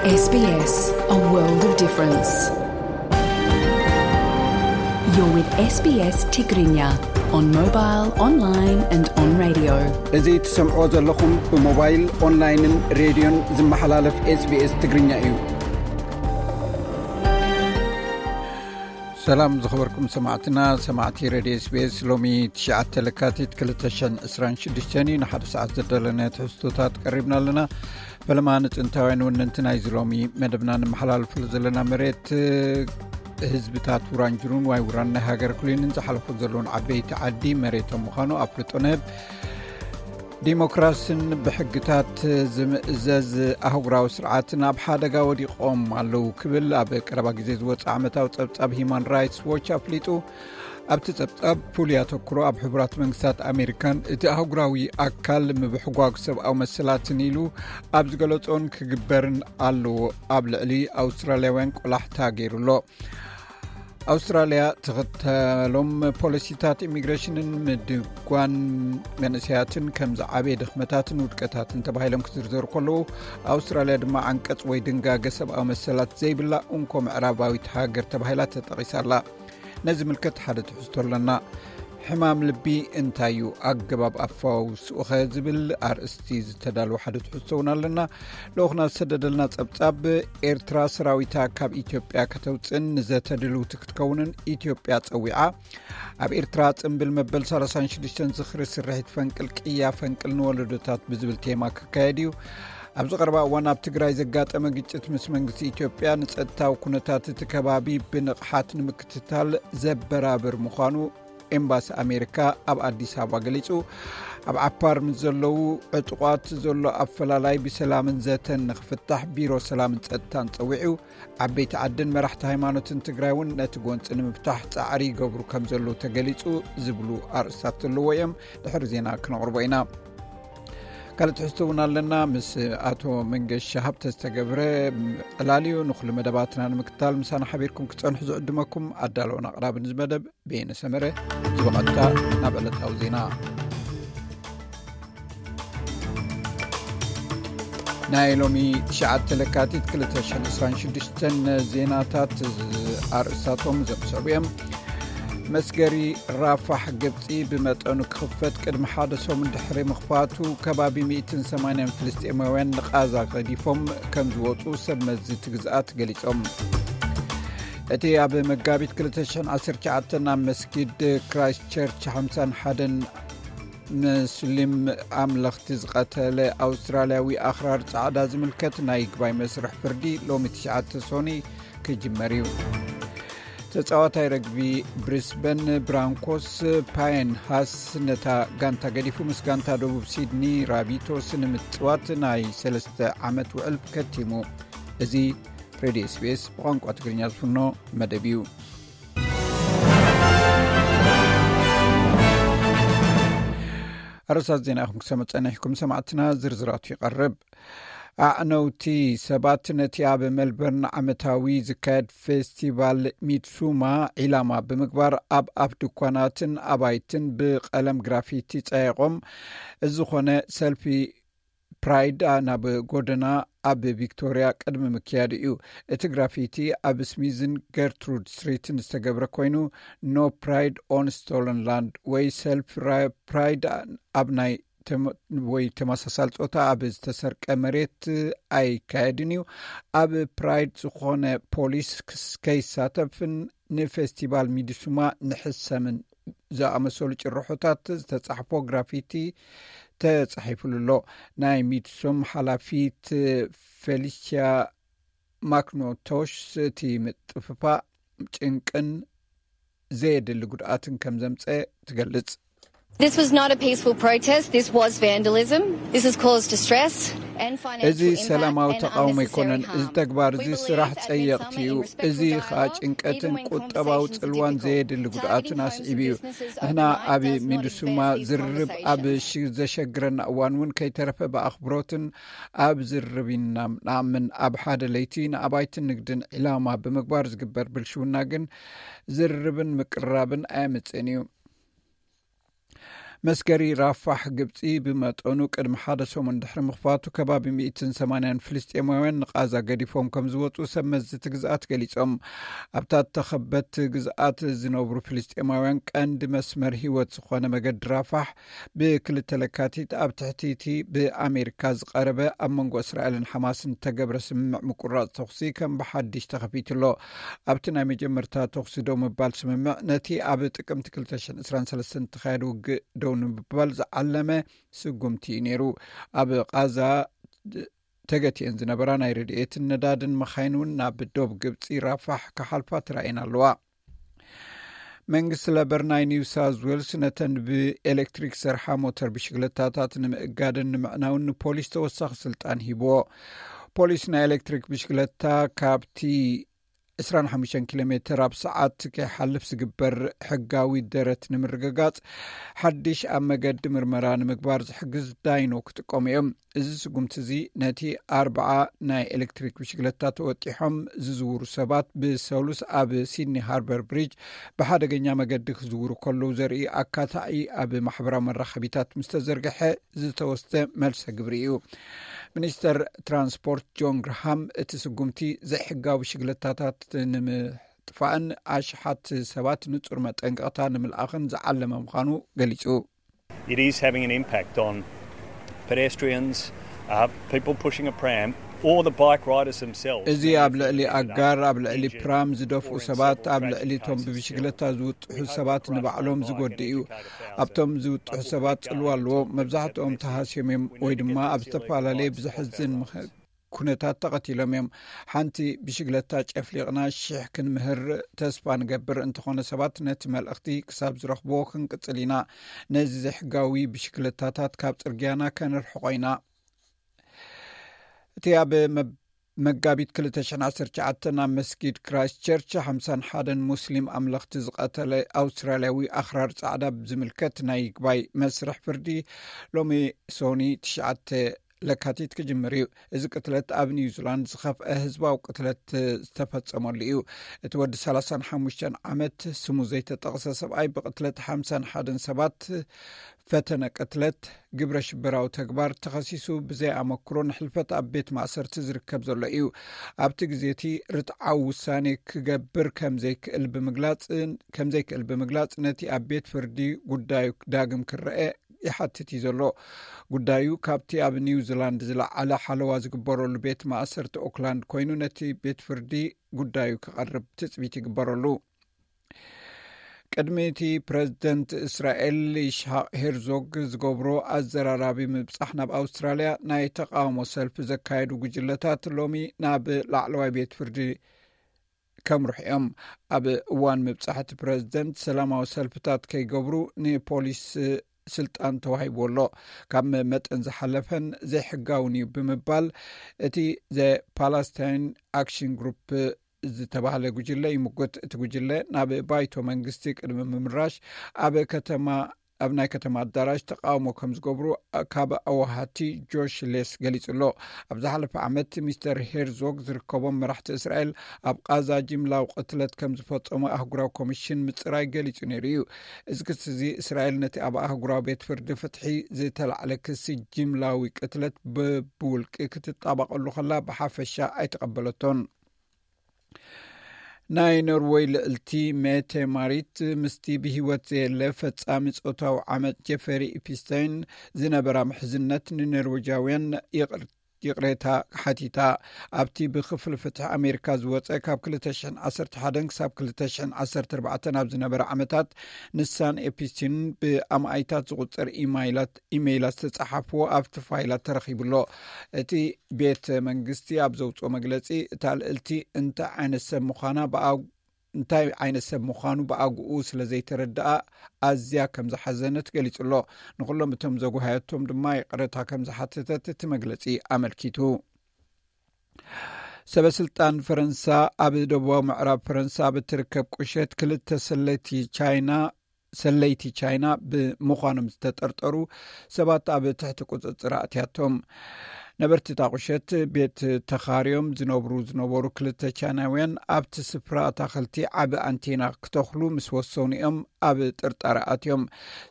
S B S, a world of difference. You're with S B S Tigrinya on mobile, online and on radio. እዚ ትሰምዕዎ ዘለኹም ብሞባይል፣ ኦንላይንን ሬድዮን ዝመሓላለፍ SBS ትግርኛ እዩ። ሰላም ዝኸበርኩም ሰማዕትና፣ ሰማዕቲ ሬድዮ SBS። ሎሚ ትሽዓተ ለካቲት ክልተ ሽሕን ዕስራን ሽዱሽተን እዩ። ንሓደ ሰዓት ዘዳለናዮ ትሕዝቶታት ቀሪብና ኣለና። ፈለማ ንጥንታውያን ወነንቲ ናይዚ ሎሚ መደብና ንመሓላልፈሉ ዘለና መሬት፣ ህዝብታት ውራንጅሩን ዋይ ውራን ናይ ሃገር ክሉንን ዝሓለፉ ዘለውን ዓበይቲ ዓዲ መሬቶም ምዃኑ ኣፍልጦ ንህብ። ዲሞክራስን ብሕግታት ዝምእዘዝ ኣህጉራዊ ስርዓትን ኣብ ሓደጋ ወዲቖም ኣለዉ ክብል ኣብ ቀረባ ግዜ ዝወጽእ ዓመታዊ ጸብጻብ ሂማን ራይትስ ዎች ኣፍሊጡ። ኣብቲ ጸብጻብ ፍሉይ ኣተኩሮ ኣብ ሕቡራት መንግስታት ኣሜሪካን እቲ ኣህጉራዊ ኣካል ምብሕጓግ ሰብኣዊ መሰላትን ኢሉ ኣብ ዝገለጾን ክግበርን ኣለዎ ኣብ ልዕሊ ኣውስትራልያውያን ቆላሕታ ገይሩ ኣሎ። ኣውስትራልያ ትኽተሎም ፖሊሲታት ኢሚግሬሽንን ምድጓን መንእሰያትን ከም ዝዓበየ ድኽመታትን ውድቀታትን ተባሂሎም ክዝርዘሩ ከለዉ፣ ኣውስትራልያ ድማ ዓንቀጽ ወይ ድንጋገ ሰብኣዊ መሰላት ዘይብላ እንኮ ምዕራባዊት ሃገር ተባሂላ ተጠቒሳ ኣላ። ነዚ ምልከት ሓደ ትሕዝቶ ኣለና። ሕማም ልቢ እንታይ እዩ? ኣገባብ ኣፈዋውስኡኸ? ዝብል ኣርእስቲ ዝተዳለወ ሓደ ትሕዝቶ እውን ኣለና። ልኡኽና ዝሰደደልና ጸብጻብ፣ ኤርትራ ሰራዊታ ካብ ኢትዮጵያ ከተውጽእን ንዘተ ድልውቲ ክትከውንን ኢትዮጵያ ጸዊዓ። ኣብ ኤርትራ ጽምብል መበል ሰላሳን ሽዱሽተን ዝኽሪ ስርሒት ፈንቅል ቅያ ፈንቅል ንወለዶታት ብዝብል ቴማ ክካየድ እዩ። ኣብዚ ቀረባ እዋን ኣብ ትግራይ ዘጋጠመ ግጭት ምስ መንግስቲ ኢትዮጵያ ንጸጥታዊ ኩነታት እቲ ከባቢ ብንቕሓት ንምክትታል ዘበራብር ምዃኑ ኤምባሲ ኣሜሪካ ኣብ ኣዲስ ኣበባ ገሊጹ። ኣብ ዓፋር ምስ ዘለዉ ዕጡቓት ዘሎ ኣፈላላይ ብሰላምን ዘተን ንኽፍታሕ ቢሮ ሰላምን ጸጥታን ጸዊዑ። ዓበይቲ ዓድን መራሕቲ ሃይማኖትን ትግራይ እውን ነቲ ጎንጺ ንምፍታሕ ጻዕሪ ይገብሩ ከም ዘለዉ ተገሊጹ ዝብሉ ኣርእስታት ዘለዎ እዮም። ድሕሪ ዜና ክነቕርቦ ኢና። ካልእ ትሕዝቶ እውን ኣለና። ምስ ኣቶ መንገሻ ሃብተ ዝተገብረ ዕላል እዩ። ንኹሉ መደባትና ንምክታል ምሳና ሓቢርኩም ክትጸንሑ ዝዕድመኩም ኣዳለውን ኣቕራብን እዚ መደብ በየነ ሰመረ። ዝበቐጥታ ናብ ዕለታዊ ዜና። ናይ ሎሚ ትሽዓተ ለካቲት ክልተ ሽሕን ዕስራን ሽዱሽተን ዜናታት ኣርእስታቶም ዘምሰሉ እዮም። መስገሪ ራፋሕ ግብጺ ብመጠኑ ክኽፈት ቅድሚ ሓደ ሰሙን ድሕሪ ምኽፋቱ፣ ከባቢ ሚእትን ሰማንያን ፍልስጤማውያን ንቓዛ ገዲፎም ከም ዝወጹ ሰብ መዚ እቲ ግዝኣት ገሊጾም። እቲ ኣብ መጋቢት ክልተ ሽሕን ዓሰርተ ትሽዓተን ኣብ መስጊድ ክራይስት ቸርች ሓምሳን ሓደን ሙስሊም ኣምለኽቲ ዝቐተለ ኣውስትራልያዊ ኣኽራር ጻዕዳ ዝምልከት ናይ ይግባይ መስርሕ ፍርዲ ሎሚ ትሽዓተ ሶኒ ክጅመር እዩ። ተጻዋታይ ረግቢ ብሪስበን ብራንኮስ ፓየን ሃስ ነታ ጋንታ ገዲፉ ምስ ጋንታ ደቡብ ሲድኒ ራቢቶስ ንምጽዋት ናይ ሰለስተ ዓመት ውዕል ከቲሙ። እዚ ሬድዮ SBS ብቋንቋ ትግርኛ ዝፍኖ መደብ እዩ። ኣርእስታት ዜና ኢኹም ክሰምዑ ጸኒሕኩም ሰማዕትና፣ ዝርዝራቱ ይቐርብ። ኣዕነውቲ ሰባት ነቲ ኣብ ሜልበርን ዓመታዊ ዝካየድ ፌስቲቫል ሚድሱማ ዒላማ ብምግባር ኣብ ኣፍ ድኳናትን ኣባይትን ብቐለም ግራፊቲ ጸየቖም። እዚ ዝኾነ ሰልፊ ፕራይድ ናብ ጎደና ኣብ ቪክቶሪያ ቅድሚ ምክያዱ እዩ። እቲ ግራፊቲ ኣብ ስሚዝን ገርትሩድ ስትሪትን ዝተገብረ ኮይኑ፣ ኖ ፕራይድ ኦን ስቶለን ላንድ ወይ ሰልፍ ፕራይድ ኣብ ናይ ተመ-፣ ወይ ተመሳሳሊ ጾታ ኣብ ዝተሰርቀ መሬት ኣይካየድን እዩ። ኣብ ፕራይድ ዝኾነ ፖሊስ ክስ-፣ ከይሳተፍን ንፌስቲቫል ሚድሱማ ንሕሰምን ዝኣመሰሉ ጭርሖታት ዝተጻሕፎ ግራፊቲ ተጻሒፉሉ ኣሎ። ናይ ሚድሱም ሓላፊት ፌሊሲያ ማክኖቶሽ እቲ ምጥፍፋእ ጭንቅን ዘየድሊ ጉድኣትን ከም ዘምጸ ትገልጽ። This was not a peaceful protest. This was vandalism. This has caused distress and financial እዚ impact ሰላማዊ and ተቃውሞ ኣይኮነን። Unnecessary እዚ harm. ተግባር We እዚ believe ስራሕ that ጸየቕቲ Midsummer እዩ። is እዚ respectful ከዓ dialogue, ጭንቀትን even when ቁጠባዊ conversations ጽልዋን are ዘየድሊ difficult. ጉድኣትን Targeting ኣስዒቡ እዩ። issues is ንሕና not ኣብ easy. This is ሚድሱማ about ዝርርብ ኣብ ሽ-፣ ዘሸግረና እዋን እውን ከይተረፈ ብኣኽብሮትን ኣብ ዝርርብ ኢና ንኣምን። ኣብ ሓደ ለይቲ ንኣባይትን ንግድን ዒላማ ብምግባር ዝግበር ብልሽውና ግን ዝርርብን ምቅርራብን ኣየምጽእን እዩ። መስገሪ ራፋሕ ግብፂ ብመጠኑ ቅድሚ ሓደ ሰሙን ድሕሪ ምኽፋቱ፣ ከባቢ ሚእትን ሰማንያን ፍልስጤማውያን ንቓዛ ገዲፎም ከም ዝወፁ ሰብ መዚ እቲ ግዝኣት ገሊፆም። ኣብታ ተኸበት ግዝኣት ዝነብሩ ፍልስጤማውያን ቀንዲ መስመር ህይወት ዝኾነ መገዲ ራፋሕ ብክልተ ለካቲት ኣብ ትሕቲ እቲ ብኣሜሪካ ዝቐረበ ኣብ መንጎ እስራኤልን ሓማስን ዝተገብረ ስምምዕ ምቁራፅ ተኹሲ ከም ብሓድሽ ተኸፊቱ ኣሎ። ኣብቲ ናይ መጀመርታ ተኹሲ ደው ምባል ስምምዕ፣ ነቲ ኣብ ጥቅምቲ ክልተ ሽሕን ዕስራን ሰለስተን ዝተኻየደ ውግእ ደው ንምባል ዝዓለመ ስጉምቲ እዩ ነይሩ። ኣብ ቓዛ ተገቲአን ዝነበራ ናይ ረድኤትን ነዳድን መኻይን እውን ናብ ዶብ ግብፂ ራፋሕ ክሓልፋ ተራእየን ኣለዋ። መንግስቲ ለበር ናይ ኒው ሳውዝ ዌልስ ነተን ብኤሌክትሪክ ዝሰርሓ ሞተር ብሽግለታታት ንምእጋድን ንምዕናውን ንፖሊስ ተወሳኺ ስልጣን ሂብዎ። ፖሊስ ናይ ኤሌክትሪክ ብሽግለታ ካብቲ ዕስራን ሓሙሽተን ኪሎ ሜትር ኣብ ሰዓት ከይሓልፍ ዝግበር ሕጋዊ ደረት ንምርግጋጽ፣ ሓድሽ ኣብ መገዲ ምርመራ ንምግባር ዝሕግዝ ዳይኖ ክጥቀሙ እዮም። እዚ ስጉምቲ እዚ፣ ነቲ ኣርብዓ ናይ ኤሌክትሪክ ብሽግለታ ተወጢሖም ዝዝውሩ ሰባት ብሰሉስ ኣብ ሲድኒ ሃርበር ብሪጅ ብሓደገኛ መገዲ ክዝውሩ ከለዉ ዘርኢ ኣካታዒ ኣብ ማሕበራዊ መራኸቢታት ምስ ተዘርግሐ ዝተወስደ መልሰ ግብሪ እዩ። ሚኒስተር ትራንስፖርት ጆን ግርሃም፣ እቲ ስጉምቲ ዘይሕጋዊ ብሽግለታታት ንምጥፋእን ኣሽሓት ሰባት ንጹር መጠንቀቕታ ንምልኣኽን ዝዓለመ ምዃኑ ገሊጹ። It is having an impact on pedestrians, uh, people pushing a pram, or the bike riders themselves. እዚ ኣብ ልዕሊ ኣጋር፣ ኣብ ልዕሊ ፕራም ዝደፍኡ ሰባት፣ ኣብ ልዕሊ እቶም ብብሽግለታ ዝውጥሑ ሰባት ንባዕሎም ዝጎድእ እዩ። ኣብቶም ዝውጥሑ ሰባት ጽልዋ ኣለዎ። መብዛሕትኦም ተሃስዮም እዮም፣ ወይ ድማ ኣብ ዝተፈላለየ ብዘሕዝን ምኽ-፣ ኩነታት ተቐቲሎም እዮም። ሓንቲ ብሽግለታ ጨፍሊቕና ሽሕ ክንምህር ተስፋ ንገብር። እንተኾነ ሰባት ነቲ መልእኽቲ ክሳብ ዝረኽብዎ ክንቅጽል ኢና። ነዚ ዘይሕጋዊ ብሽግለታታት ካብ ጽርግያና ከነርሕቖ ኢና። እቲ ኣብ መብ-፣ መጋቢት ክልተ ሽሕን ዓሰርተ ትሽዓተን ኣብ መስጊድ ክራይስት ቸርች ሓምሳን ሓደን ሙስሊም ኣምለኽቲ ዝቐተለ ኣውስትራልያዊ ኣኽራር ጻዕዳ ብዝምልከት ናይ ይግባይ መስርሕ ፍርዲ ሎሚ ሶኒ ትሽዓተ ለካቲት ክጅምር እዩ። እዚ ቅትለት ኣብ ኒውዚላንድ ዝኸፍአ ህዝባዊ ቅትለት ዝተፈጸመሉ እዩ። እቲ ወዲ ሰላሳን ሓሙሽተን ዓመት ስሙ ዘይተጠቕሰ ሰብኣይ ብቅትለት ሓምሳን ሓደን ሰባት ፈተነ ቅትለት ግብረ ሽበራዊ ተግባር ተኸሲሱ ብዘይ ኣመክሮ ንሕልፈት ኣብ ቤት ማእሰርቲ ዝርከብ ዘሎ እዩ። ኣብቲ ግዜ እቲ ርትዓዊ ውሳኔ ክገብር ከም ዘይክእል ብምግላጽ፣ ከም ዘይክእል ብምግላጽ ነቲ ኣብ ቤት ፍርዲ ጉዳዩ ዳግም ክረአ ይሓትት እዩ ዘሎ። ጉዳዩ ካብቲ ኣብ ኒውዚላንድ ዝለዓለ ሓለዋ ዝግበረሉ ቤት ማእሰርቲ ኦክላንድ ኮይኑ ነቲ ቤት ፍርዲ ጉዳዩ ክቐርብ ትጽቢት ይግበረሉ። ቅድሚ እቲ ፕረዚደንት እስራኤል ይስሓቅ ሄርዞግ ዝገብሮ ኣዘራራቢ ምብጻሕ ናብ ኣውስትራልያ፣ ናይ ተቃውሞ ሰልፊ ዘካየዱ ጉጅለታት ሎሚ ናብ ላዕለዋይ ቤት ፍርዲ ከምርሑ እዮም። ኣብ እዋን ምብጻሕ እቲ ፕረዚደንት ሰላማዊ ሰልፍታት ከይገብሩ ንፖሊስ ስልጣን ተዋሂብዎ ኣሎ። ካብ መጠን ዝሓለፈን ዘይሕጋውን እዩ ብምባል እቲ ዘ ፓላስታይን ኣክሽን ግሩፕ ዝተባህለ ጉጅለ ይምጉት። እቲ ጉጅለ ናብ ባይቶ መንግስቲ ቅድሚ ምምራሽ ኣብ ከተማ፣ ኣብ ናይ ከተማ ኣዳራሽ ተቃውሞ ከም ዝገብሩ ካብ ኣዋሃቲ ጆሽ ሌስ ገሊጹ ኣሎ። ኣብ ዝሓለፈ ዓመት ሚስተር ሄርዞግ ዝርከቦም መራሕቲ እስራኤል ኣብ ቃዛ ጅምላዊ ቅትለት ከም ዝፈጸሙ ኣህጉራዊ ኮሚሽን ምጽራይ ገሊጹ ነይሩ እዩ። እዚ ክሲ እዚ እስራኤል ነቲ ኣብ ኣህጉራዊ ቤት ፍርዲ ፍትሒ ዝተላዕለ ክሲ ጅምላዊ ቅትለት ብብውልቂ ክትጣባቐሉ ከላ ብሓፈሻ ኣይተቐበለቶን። ናይ ኖርወይ ልዕልቲ ሜቴ ማሪት ምስቲ ብህይወት ዘየለ ፈጻሚ ጾታዊ ዓመጽ ጀፈሪ ኢፕስታይን ዝነበራ ምሕዝነት ንኖርወጃውያን ይቕር-፣ ይቕሬታ ሓቲታ። ኣብቲ ብክፍሊ ፍትሒ ኣሜሪካ ዝወጸ ካብ ክልተ ሽሕን ዓሰርተ ሓደን ክሳብ ክልተ ሽሕን ዓሰርተ ኣርባዕተን ኣብ ዝነበረ ዓመታት ንሳን ኤፕስቲን ብኣማኢታት ዝቑጸር ኢማይላት፣ ኢሜይላት ዝተጻሓፍዎ ኣብቲ ፋይላት ተረኺቡ ኣሎ። እቲ ቤት መንግስቲ ኣብ ዘውጽኦ መግለጺ፣ እታ ልዕልቲ እንታይ ዓይነት ሰብ ምዃና ብኣ-፣ እንታይ ዓይነት ሰብ ምዃኑ ብኣግኡ ስለ ዘይተረድኣ ኣዝያ ከም ዝሓዘነት ገሊጹ ኣሎ። ንኹሎም እቶም ዘጉሃየቶም ድማ ይቕረታ ከም ዝሓተተት እቲ መግለጺ ኣመልኪቱ። ሰበ ስልጣን ፈረንሳ ኣብ ደቡባዊ ምዕራብ ፈረንሳ ኣብ እትርከብ ቁሸት ክልተ ሰለይቲ ቻይና፣ ሰለይቲ ቻይና ብምዃኖም ዝተጠርጠሩ ሰባት ኣብ ትሕቲ ቁጽጽር ኣእትያቶም። ነበርቲ እታ ቁሸት ቤት ተኻርዮም ዝነብሩ ዝነበሩ ክልተ ቻይናውያን ኣብቲ ስፍራ ኣታኽልቲ ዓቢ ኣንቴና ክተኽሉ ምስ ወሰኑ እዮም ኣብ ጥርጣረ ኣትዮም።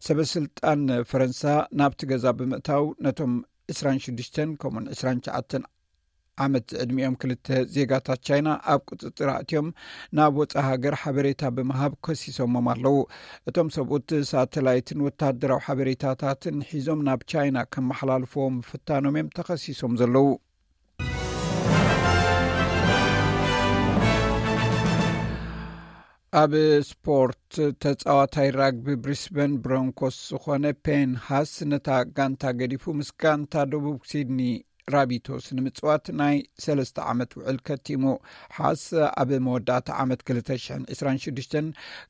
ሰበ ስልጣን ፈረንሳ ናብቲ ገዛ ብምእታው ነቶም ዕስራን ሽዱሽተን ከምኡን ዕስራን ትሽዓተን ዓመት ዝዕድሚኦም ክልተ ዜጋታት ቻይና ኣብ ቁጽጽር ኣእትዮም ናብ ወጻኢ ሃገር ሓበሬታ ብምሃብ ከሲሶሞም ኣለዉ። እቶም ሰብኡት ሳተላይትን ወታደራዊ ሓበሬታታትን ሒዞም ናብ ቻይና ከመሓላልፍዎም ምፍታኖም እዮም ተኸሲሶም ዘለዉ። ኣብ ስፖርት፣ ተጻዋታይ ራግቢ ብሪስበን ብሮንኮስ ዝኾነ ፔን ሃስ ነታ ጋንታ ገዲፉ ምስ ጋንታ ደቡብ ሲድኒ ራቢቶስ ንምጽዋት ናይ ሰለስተ ዓመት ውዕል ከቲሙ። ሓስ ኣብ መወዳእታ ዓመት ክልተ ሽሕን ዕስራን ሽዱሽተን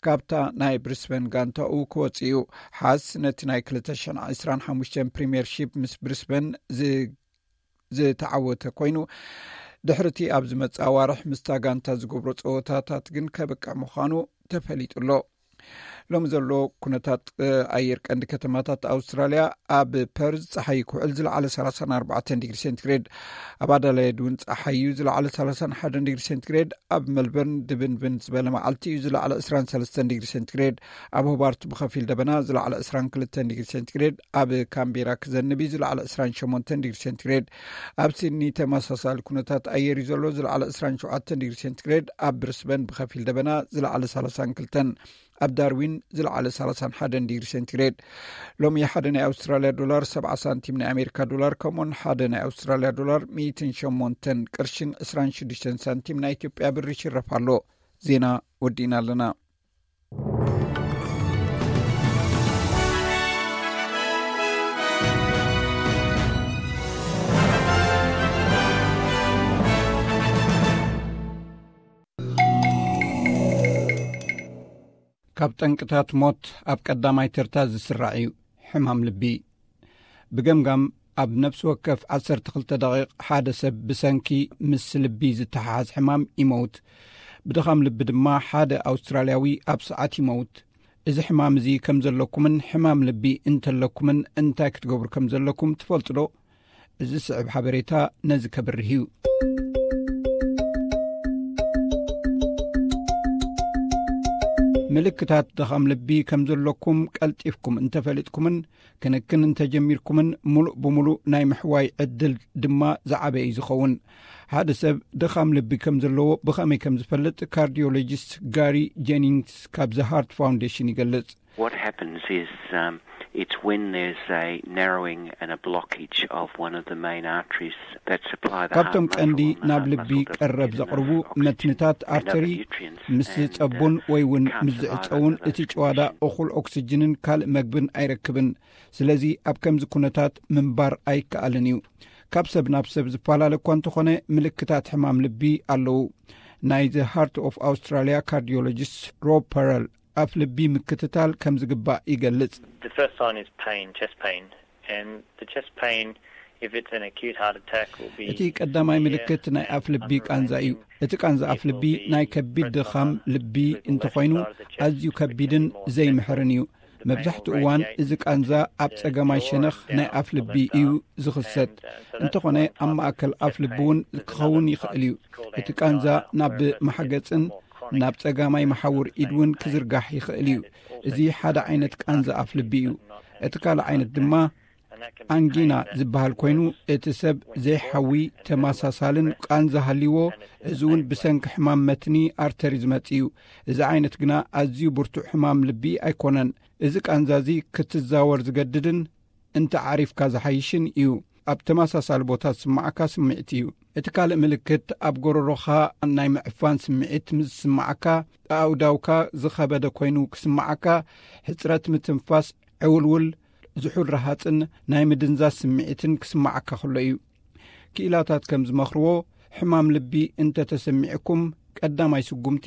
ካብታ ናይ ብሪስበን ጋንታኡ ክወጽእ እዩ። ሓስ ነቲ ናይ ክልተ ሽሕን ዕስራን ሓሙሽተን ፕሪምየርሺፕ ምስ ብሪስበን ዝ ዝተዓወተ ኮይኑ፣ ድሕርቲ ኣብ ዝመጽእ ኣዋርሕ ምስታ ጋንታ ዝገብሮ ጸወታታት ግን ከብቅዕ ምዃኑ ተፈሊጡ ኣሎ። ሎሚ ዘሎ ኩነታት ኣየር ቀንዲ ከተማታት ኣውስትራልያ፣ ኣብ ፐርዝ ጸሓይ ክውዕል ዝለዓለ ሰላሳን ኣርባዕተን ዲግሪ ሴንቲግሬድ፣ ኣብ ኣዳላይድ እውን ጸሓዩ ዝለዓለ ሰላሳን ሓደን ዲግሪ ሴንቲግሬድ፣ ኣብ መልበርን ድብንብን ዝበለ መዓልቲ እዩ ዝለዓለ ዕስራን ሰለስተን ዲግሪ ሴንቲግሬድ፣ ኣብ ሆባርት ብኸፊል ደበና ዝለዓለ ዕስራን ክልተን ዲግሪ ሴንቲግሬድ፣ ኣብ ካምቤራ ክዘንብ እዩ ዝለዓለ ዕስራን ሸሞንተን ዲግሪ ሴንቲግሬድ፣ ኣብ ሲድኒ ተመሳሳሊ ኩነታት ኣየር እዩ ዘሎ ዝለዓለ ዕስራን ሸውዓተን ዲግሪ ሴንቲግሬድ፣ ኣብ ብሪስበን ብኸፊል ደበና ዝለዓለ ሰላሳን ክልተን፣ ኣብ ዳርዊን ዝለዓለ ሰላሳን ሓደን ዲግሪ ሴንቲግሬድ። ሎሚ ሓደ ናይ ኣውስትራልያ ዶላር ሰብዓ ሳንቲም ናይ ኣሜሪካ ዶላር ከምኡን ሓደ ናይ ኣውስትራልያ ዶላር ሚእትን ሸሞንተን ቅርሽን ዕስራን ሽዱሽተን ሳንቲም ናይ ኢትዮጵያ ብር ይሽረፍ ኣሎ። ዜና ወዲእና ኣለና። ካብ ጠንቅታት ሞት ኣብ ቀዳማይ ተርታ ዝስራዕ እዩ ሕማም ልቢ። ብገምጋም ኣብ ነፍሲ ወከፍ ዓሰርተ ክልተ ደቂቕ ሓደ ሰብ ብሰንኪ ምስ ልቢ ዝተሓሓዝ ሕማም ይመውት። ብድኻም ልቢ ድማ ሓደ ኣውስትራልያዊ ኣብ ሰዓት ይመውት። እዚ ሕማም እዚ ከም ዘለኩምን ሕማም ልቢ እንተለኩምን እንታይ ክትገብሩ ከም ዘለኩም ትፈልጡ ዶ? እዚ ስዕብ ሓበሬታ ነዚ ከብርህ እዩ። ምልክታት ድኻም ልቢ ከም ዘለኩም ቀልጢፍኩም እንተፈሊጥኩምን ክንክን እንተጀሚርኩምን፣ ሙሉእ ብሙሉእ ናይ ምሕዋይ ዕድል ድማ ዝዓበየ እዩ ዝኸውን። ሓደ ሰብ ድኻም ልቢ ከም ዘለዎ ብኸመይ ከም ዝፈልጥ ካርዲዮሎጂስት ጋሪ ጄኒንግስ ካብዚ ሃርት ፋውንዴሽን ይገልጽ። What happens is, um, it's when there's a narrowing and a blockage of one of the main arteries that supply the heart ካብቶም ቀንዲ muscle, and the ናብ heart ልቢ muscle doesn't ቀረብ get enough ዘቕርቡ oxygen መትንታት and other ኣርተሪ nutrients ምስ and, uh, ዝጸቡን ወይ እውን can't ምስ survive ዝዕጸውን over እቲ those ጭዋዳ conditions. እኹል ኦክስጅንን ካልእ መግብን ኣይረክብን። ስለዚ ኣብ ከምዚ ኩነታት ምንባር ኣይከኣልን እዩ። ካብ ሰብ ናብ ሰብ ዝፈላለ እኳ እንተኾነ ምልክታት ሕማም ልቢ ኣለዉ። ናይ The Heart of Australia ካርዲዮሎጂስት ሮብ ፐረል ኣፍ ልቢ ምክትታል ከም ዝግባእ ይገልጽ። The first sign is pain, chest pain, and the chest pain, if it's an acute heart attack, will be እቲ ቀዳማይ severe ምልክት ናይ ኣፍ ልቢ ቃንዛ እዩ። እቲ ቃንዛ ኣፍ ልቢ ናይ ከቢድ ድኻም ልቢ እንተኾይኑ ኣዝዩ ከቢድን ዘይምሕርን እዩ። መብዛሕትኡ እዋን እዚ ቃንዛ ኣብ ጸገማይ ሸነኽ ናይ ኣፍ ልቢ እዩ ዝኽሰት። እንተኾነ ኣብ ማእከል ኣፍ ልቢ እውን ክኸውን ይኽእል እዩ። እቲ ቃንዛ ናብ ማሕገጽን ናብ ጸጋማይ መሓውር ኢድ እውን ክዝርጋሕ ይኽእል እዩ። እዚ ሓደ ዓይነት ቃንዛ ኣፍ ልቢ እዩ። እቲ ካልእ ዓይነት ድማ ኣንጊና ዝበሃል ኮይኑ፣ እቲ ሰብ ዘይሓዊ ተመሳሳልን ቃንዛ ሃልይዎ፣ እዚ እውን ብሰንኪ ሕማም መትኒ ኣርተሪ ዝመጽእ እዩ። እዚ ዓይነት ግና ኣዝዩ ብርቱዕ ሕማም ልቢ ኣይኮነን። እዚ ቃንዛ እዚ ክትዛወር ዝገድድን እንተ ዓሪፍካ ዝሓይሽን እዩ። ኣብ ተመሳሳሊ ቦታ ዝስምዓካ ስምዒት እዩ። እቲ ካልእ ምልክት ኣብ ጎረሮኻ ናይ ምዕፋን ስምዒት ምስ ዝስምዓካ፣ ኣእዳውካ ዝኸበደ ኮይኑ ክስምዓካ፣ ሕጽረት ምትንፋስ፣ ዕውልውል፣ ዝሑል ረሃጽን ናይ ምድንዛዝ ስምዒትን ክስምዓካ ከሎ እዩ። ክኢላታት ከም ዝመኽርዎ፣ ሕማም ልቢ እንተ ተሰሚዕኩም፣ ቀዳማይ ስጉምቲ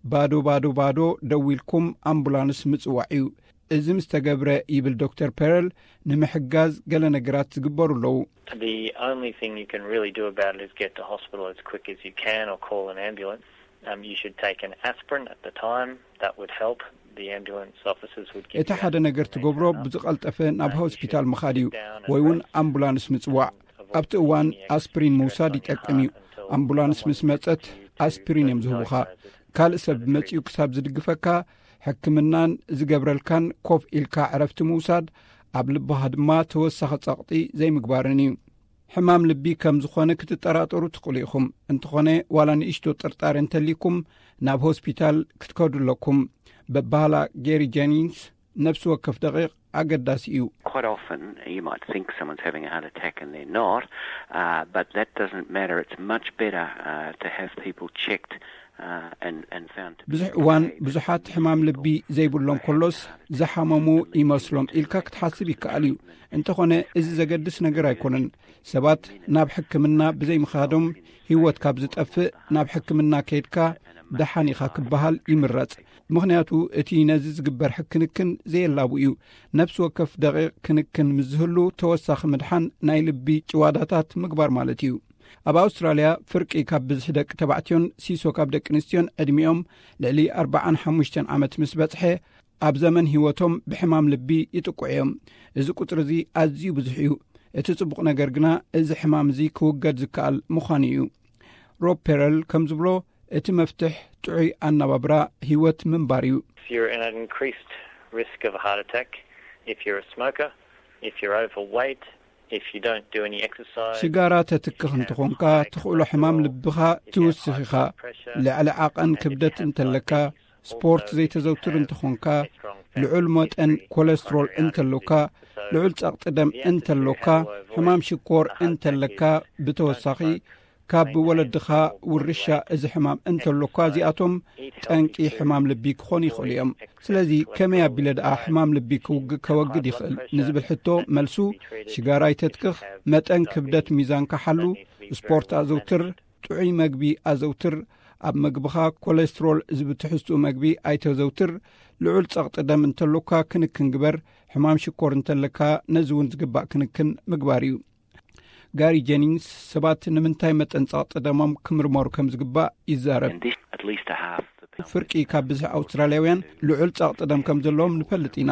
ባዶ፣ ባዶ፣ ባዶ ደዊልኩም ኣምቡላንስ ምጽዋዕ እዩ። እዚ ምስ ተገብረ፣ ይብል ዶክተር ፐረል፣ ንምሕጋዝ ገለ ነገራት ዝግበሩ ኣለዉ። The only thing you can really do about it is get to hospital as quick as you can or call an ambulance. Um, you should take an aspirin at the time. That would help. The ambulance officers would give እቲ ሓደ ነገር ትገብሮ ብዝቐልጠፈ ናብ ሆስፒታል ምኻድ እዩ፣ ወይ እውን ኣምቡላንስ ምጽዋዕ። ኣብቲ እዋን ኣስፕሪን ምውሳድ ይጠቅም እዩ። ኣምቡላንስ ምስ መጸት ኣስፕሪን እዮም ዝህቡኻ። ካልእ ሰብ መጺኡ ክሳብ ዝድግፈካ፣ ሕክምናን ዝገብረልካን ኮፍ ኢልካ ዕረፍቲ ምውሳድ፣ ኣብ ልብኻ ድማ ተወሳኺ ጸቕጢ ዘይምግባርን እዩ። ሕማም ልቢ ከም ዝኾነ ክትጠራጠሩ ትኽእሉ ኢኹም። እንተኾነ ዋላ ንእሽቶ ጥርጣረ እንተልይኩም ናብ ሆስፒታል ክትከዱ ኣለኩም። በባህላ ጌሪ ጀኒንስ ነፍሲ ወከፍ ደቂቕ ኣገዳሲ እዩ። Quite often you might think someone's having a heart attack and they're not, uh, but that doesn't matter. It's much better uh, to have people checked uh, and, and found to be ብዙሕ እዋን okay. ብዙሓት ሕማም ልቢ ዘይብሎም ከሎስ ዝሓመሙ ይመስሎም ኢልካ ክትሓስብ ይከኣል እዩ። እንተኾነ እዚ ዘገድስ ነገር ኣይኮነን። ሰባት ናብ ሕክምና ብዘይምኻዶም ህይወት ካብ ዝጠፍእ ናብ ሕክምና ከይድካ ደሓን ኢኻ ክበሃል ይምረጽ። ምኽንያቱ እቲ ነዚ ዝግበር ሕክንክን ዘየላቡ እዩ። ነፍሲ ወከፍ ደቂቕ ክንክን ምስ ዝህሉ ተወሳኺ ምድሓን ናይ ልቢ ጭዋዳታት ምግባር ማለት እዩ። ኣብ ኣውስትራልያ ፍርቂ ካብ ብዝሒ ደቂ ተባዕትዮን ሲሶ ካብ ደቂ ኣንስትዮን ዕድሚኦም ልዕሊ ኣርባዓን ሓሙሽተን ዓመት ምስ በጽሐ ኣብ ዘመን ህይወቶም ብሕማም ልቢ ይጥቅዑ እዮም። እዚ ቁጽሪ እዚ ኣዝዩ ብዙሕ እዩ። እቲ ጽቡቕ ነገር ግና እዚ ሕማም እዚ ክውገድ ዝከኣል ምዃኑ እዩ። ሮብ ፔረል ከም ዝብሎ እቲ መፍትሕ ጥዑይ ኣነባብራ ህይወት ምንባር እዩ። You're in an increased risk of a heart attack if you're a smoker, if you're overweight, if you don't do any exercise. ሽጋራ ተትክኽ እንተኾንካ ትኽእሎ ሕማም ልብኻ ትውስኽ ኢኻ። ልዕሊ ዓቐን ክብደት እንተለካ፣ ስፖርት ዘይተዘውትር እንተኾንካ፣ ልዑል መጠን ኮለስትሮል እንተሎካ፣ ልዑል ጸቕጢ ደም እንተሎካ፣ ሕማም ሽኮር እንተለካ፣ ብተወሳኺ ካብ ወለድኻ ውርሻ እዚ ሕማም እንተሎካ፣ እዚኣቶም ጠንቂ ሕማም ልቢ ክኾኑ ይኽእሉ እዮም። ስለዚ ከመይ ኣቢለ ደኣ ሕማም ልቢ ክውግ- ከወግድ ይኽእል ንዝብል ሕቶ መልሱ ሽጋራ ይተትክኽ፣ መጠን ክብደት ሚዛንካ ሓሉ፣ ስፖርት ኣዘውትር፣ ጥዑይ መግቢ ኣዘውትር፣ ኣብ መግብኻ ኮለስትሮል ዝብትሕዝትኡ መግቢ ኣይተዘውትር፣ ልዑል ጸቕጢ ደም እንተሎካ ክንክን ግበር፣ ሕማም ሽኮር እንተለካ ነዚ እውን ዝግባእ ክንክን ምግባር እዩ። ጋሪ ጀኒንግስ ሰባት ንምንታይ መጠን ጸቕጢ ደሞም ክምርመሩ ከም ዝግባእ ይዛረብ። And this, at least a half the people. ፍርቂ ካብ ብዝሒ ኣውስትራልያውያን ልዑል ጸቕጢ ደም ከም ዘለዎም ንፈልጥ ኢና።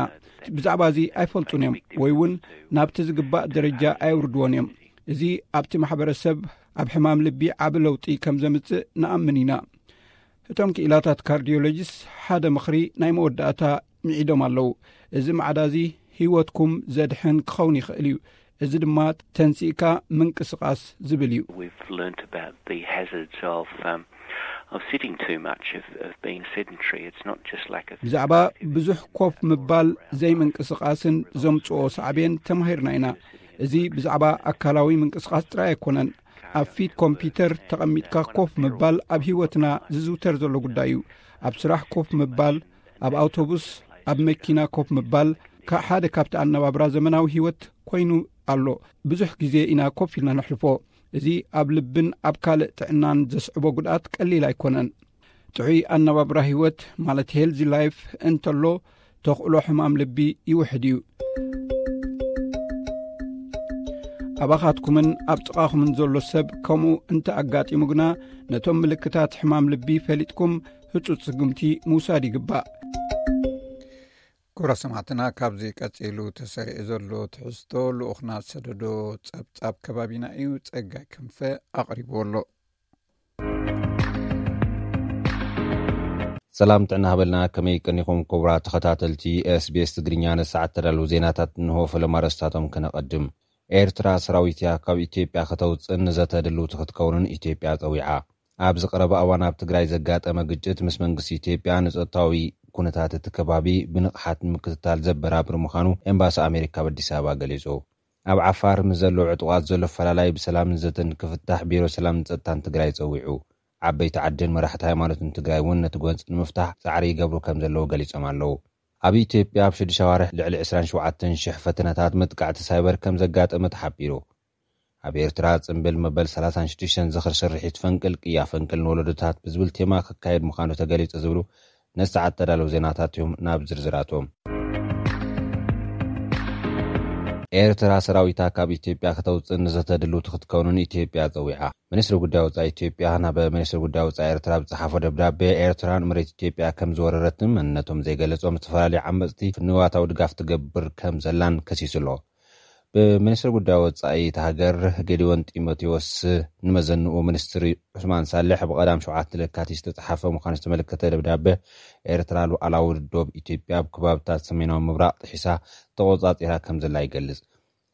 ብዛዕባ እዚ ኣይፈልጡን እዮም ወይ እውን ናብቲ ዝግባእ ደረጃ ኣየውርድዎን እዮም። እዚ ኣብቲ ማሕበረሰብ ኣብ ሕማም ልቢ ዓቢ ለውጢ ከም ዘምጽእ ንኣምን ኢና። እቶም ክኢላታት ካርዲዮሎጂስ ሓደ ምኽሪ ናይ መወዳእታ ምዒዶም ኣለዉ። እዚ ማዕዳ እዚ ህይወትኩም ዘድሕን ክኸውን ይኽእል እዩ። እዚ ድማ ተንሲእካ ምንቅስቓስ ዝብል እዩ። We've learnt about the hazards of um, of sitting too much, of, of being sedentary. It's not just like a ብዛዕባ ብዙሕ ኮፍ ምባል ዘይምንቅስቓስን ዘምጽኦ ሳዕቤን ተማሂርና ኢና። እዚ ብዛዕባ ኣካላዊ ምንቅስቓስ ጥራይ ኣይኮነን። ኣብ ፊት ኮምፒውተር ተቐሚጥካ ኮፍ ምባል ኣብ ህይወትና ዝዝውተር ዘሎ ጉዳይ እዩ። ኣብ ስራሕ ኮፍ ምባል፣ ኣብ ኣውቶቡስ፣ ኣብ መኪና ኮፍ ምባል ካ- ሓደ ካብቲ ኣነባብራ ዘመናዊ ህይወት ኮይኑ ኣሎ። ብዙሕ ግዜ ኢና ኮፍ ኢልና ነሕልፎ። እዚ ኣብ ልብን ኣብ ካልእ ጥዕናን ዘስዕቦ ጉድኣት ቀሊል ኣይኮነን። ጥዑይ ኣነባብራ ህይወት ማለት ሄልዚ ላይፍ እንተሎ ተኽእሎ ሕማም ልቢ ይውሕድ እዩ። ኣባኻትኩምን ኣብ ጥቓኹምን ዘሎ ሰብ ከምኡ እንተ ኣጋጢሙ ግና ነቶም ምልክታት ሕማም ልቢ ፈሊጥኩም ህጹጽ ስጉምቲ ምውሳድ ይግባእ። ክቡራት ሰማዕትና፣ ካብዚ ቀጺሉ ተሰሪዑ ዘሎ ትሕዝቶ ልኡኽና ዝሰደዶ ጸብጻብ ከባቢና እዩ። ጸጋይ ክንፈ ኣቕሪብዎ ኣሎ። ሰላም ጥዕና ሃበልና፣ ከመይ ቀኒኹም ክቡራት ተኸታተልቲ ኤስቢኤስ ትግርኛ? ነሰዓት ተዳለዉ ዜናታት እንሆ። ፈለማ ኣርእስታቶም ከነቐድም። ኤርትራ ሰራዊትያ ካብ ኢትዮጵያ ከተውፅእን ንዘተ ድልውቲ ክትከውንን ኢትዮጵያ ፀዊዓ። ኣብዚ ቀረባ እዋን ኣብ ትግራይ ዘጋጠመ ግጭት ምስ መንግስቲ ኢትዮጵያ ንፀጥታዊ ኩነታት እቲ ከባቢ ብንቕሓት ንምክትታል ዘበራብር ምዃኑ ኤምባሲ ኣሜሪካ ኣብ ኣዲስ ኣበባ ገሊፁ። ኣብ ዓፋር ምስ ዘለዉ ዕጡቓት ዘሎ ፈላላይ ብሰላምን ዘተን ክፍታሕ ቢሮ ሰላምን ፀጥታን ትግራይ ፀዊዑ። ዓበይቲ ዓድን መራሕቲ ሃይማኖትን ትግራይ እውን ነቲ ጎንፂ ንምፍታሕ ፃዕሪ ይገብሩ ከም ዘለዉ ገሊፆም ኣለዉ። ኣብ ኢትዮጵያ ኣብ ሽዱሽተ ኣዋርሕ ልዕሊ ዕስራን ሸውዓተን ሽሕ ፈተነታት መጥቃዕቲ ሳይበር ከም ዘጋጠመ ተሓቢሩ። ኣብ ኤርትራ ጽምብል መበል ሰላሳን ሽዱሽተን ዝኽሪ ስርሒት ፈንቅል ቅያ ፈንቅል ንወለዶታት ብዝብል ቴማ ክካየድ ምዃኑ ተገሊጹ ዝብሉ ነሰዓት ተዳለዉ ዜናታት እዮም። ናብ ዝርዝራቶም። ኤርትራ ሰራዊታ ካብ ኢትዮጵያ ከተውጽእ ንዘተድሉ ክትከውንን ኢትዮጵያ ጸዊዓ። ሚኒስትሪ ጉዳይ ወጻኢ ኢትዮጵያ ናብ ሚኒስትሪ ጉዳይ ወጻኢ ኤርትራ ብዝጸሓፎ ደብዳቤ፣ ኤርትራ ንመሬት ኢትዮጵያ ከም ዝወረረትን መንነቶም ዘይገለጾም ዝተፈላለዩ ዓመጽቲ ንዋታዊ ድጋፍ ትገብር ከም ዘላን ከሲሱ ኣሎ። ሚኒስትሪ ጉዳይ ወጻኢ እታ ሃገር ጌዲዮን ጢሞቴዎስ ንመዘንኡ ሚኒስትሪ ዑስማን ሳልሕ ብቐዳም ሸውዓተ ለካቲት ዝተጻሓፈ ምዃኑ ዝተመለከተ ደብዳበ፣ ኤርትራ ሉዓላዊ ዶብ ኢትዮጵያ ኣብ ከባብታት ሰሜናዊ ምብራቕ ጥሒሳ ተቖጻጺራ ከም ዘላ ይገልጽ።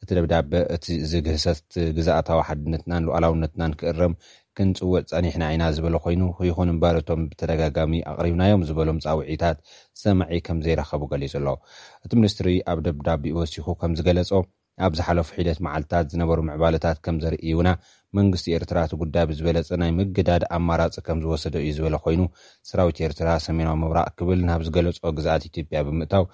እቲ ደብዳበ፣ እቲ እዚ ግህሰት ግዝኣታዊ ሓድነትናን ሉዓላውነትናን ክእረም ክንጽውዕ ጸኒሕና ኢና ዝበለ ኮይኑ፣ ይኹን እምበር እቶም ብተደጋጋሚ ኣቕሪብናዮም ዝበሎም ጻውዒታት ሰማዒ ከም ዘይረኸቡ ገሊጹ ኣሎ። እቲ ሚኒስትሪ ኣብ ደብዳቤኡ ወሲኹ ከም ዝገለጾ፣ ኣብ ዝሓለፉ ሒደት መዓልታት ዝነበሩ ምዕባለታት ከም ዘርእዩና፣ መንግስቲ ኤርትራ እቲ ጉዳይ ብዝበለጸ ናይ ምግዳድ ኣማራጺ ከም ዝወሰደ እዩ ዝበለ ኮይኑ፣ ሰራዊት ኤርትራ ሰሜናዊ ምብራቕ ክብል ናብ ዝገለጾ ግዝኣት ኢትዮጵያ ብምእታው፣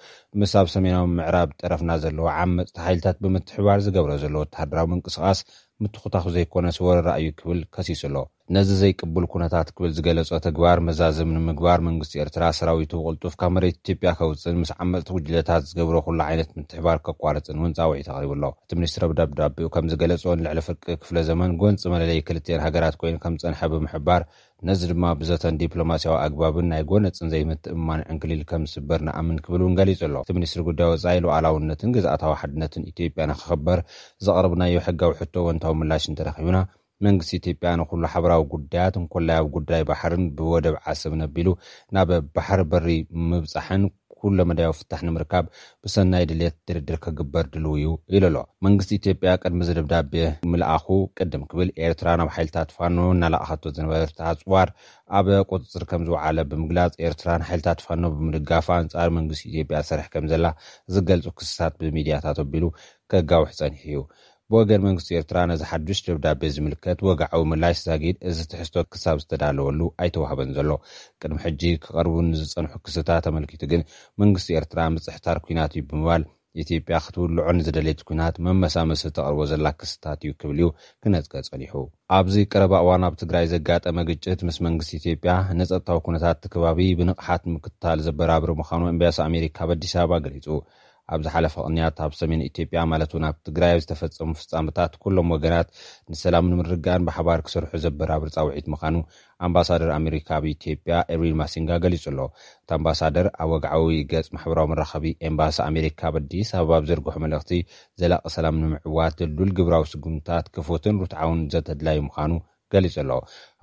ምስ ኣብ ሰሜናዊ ምዕራብ ጠረፍና ዘለዎ ዓመጽቲ ሓይልታት ብምትሕባር ዝገብሮ ዘሎ ወተሃደራዊ ምንቅስቓስ ምትኹታኹ ዘይኮነስ ወረራ እዩ ክብል ከሲሱ ኣሎ። ነዚ ዘይቅቡል ኩነታት ክብል ዝገለጾ ተግባር መዛዘሚ ንምግባር መንግስቲ ኤርትራ ሰራዊቱ ብቕልጡፍ ካብ መሬት ኢትዮጵያ ከውጽእን ምስ ዓመጽቲ ጉጅለታት ዝገብሮ ኩሉ ዓይነት ምትሕባር ከቋርጽን እውን ጻውዒት ኣቕሪቡ ኣሎ። እቲ ሚኒስትር ኣብ ደብዳቤኡ ከም ዝገለጾ ንልዕሊ ፍርቂ ክፍለ ዘመን ጎንጺ መለለዪ ክልቲኤን ሃገራት ኮይኑ ከም ዝጸንሐ ብምሕባር ነዚ ድማ ብዘተን ዲፕሎማስያዊ ኣግባብን ናይ ጎነጽን ዘይምትእምማን ዕንክሊል ከም ዝስበር ንኣምን ክብል እውን ገሊጹ ኣሎ። እቲ ሚኒስትሪ ጉዳይ ወጻኢ ሉዓላውነትን ግዝኣታዊ ሓድነትን ኢትዮጵያ ንክኽበር ዘቕረብናዮ ሕጋዊ ሕቶ እወንታዊ ምላሽ እንተረኺቡና መንግስቲ ኢትዮጵያ ንኩሉ ሓበራዊ ጉዳያት እንኮላይ ኣብ ጉዳይ ባሕርን ብወደብ ዓሰብ ነቢሉ ናብ ባሕሪ በሪ ምብጻሕን ኩለመዳያዊ ፍታሕ ንምርካብ ብሰናይ ድሌት ድርድር ክግበር ድልው እዩ ኢሉ ኣሎ። መንግስቲ ኢትዮጵያ ቅድሚ እዚ ደብዳቤ ምልኣኹ ቅድም ክብል ኤርትራ ናብ ሓይልታት ፋኖ እናለኣኸቶ ዝነበረት ኣጽዋር ኣብ ቁጽጽር ከም ዝወዓለ ብምግላጽ ኤርትራ ንሓይልታት ፋኖ ብምድጋፍ ኣንጻር መንግስቲ ኢትዮጵያ ትሰርሕ ከም ዘላ ዝገልጹ ክስታት ብሚድያታት ኣቢሉ ከጋውሕ ጸኒሑ እዩ። ብወገን መንግስቲ ኤርትራ ነዚ ሓዱሽ ደብዳቤ ዝምልከት ወግዓዊ ምላሽ ዛጊድ እዚ ትሕዝቶ ክሳብ ዝተዳለወሉ ኣይተዋህበን ዘሎ። ቅድሚ ሕጂ ክቐርቡ ንዝጸንሑ ክስታት ተመልኪቱ ግን መንግስቲ ኤርትራ ምጽሕታር ኲናት እዩ ብምባል ኢትዮጵያ ክትውልዖ ንዝደለየት ኲናት መመሳመሲ ተቕርቦ ዘላ ክስታት እዩ ክብል እዩ ክነጽገ ጸኒሑ። ኣብዚ ቀረባ እዋን ኣብ ትግራይ ዘጋጠመ ግጭት ምስ መንግስቲ ኢትዮጵያ ንጸጥታዊ ኩነታት እቲ ከባቢ ብንቕሓት ምክትታል ዘበራብር ምዃኑ ኤምባሲ ኣሜሪካ ኣብ ኣዲስ ኣበባ ገሊጹ። ኣብ ዝሓለፈ ቅንያት ኣብ ሰሜን ኢትዮጵያ ማለት እውን ኣብ ትግራይ ኣብ ዝተፈጸሙ ፍጻመታት ኩሎም ወገናት ንሰላም ንምርግጋእን ብሓባር ክሰርሑ ዘበራብር ጻውዒት ምዃኑ ኣምባሳደር ኣሜሪካ ኣብ ኢትዮጵያ ኤሪን ማሲንጋ ገሊጹ ኣሎ። እቲ ኣምባሳደር ኣብ ወግዓዊ ገጽ ማሕበራዊ መራኸቢ ኤምባሲ ኣሜሪካ ኣብ ኣዲስ ኣበባ ኣብ ዘርግሖ መልእኽቲ ዘላቒ ሰላም ንምዕዋት ድልዱል ግብራዊ ስጉምትታት ክፉትን ርትዓውን ዘተድላዩ ምዃኑ ገሊጹ ኣሎ።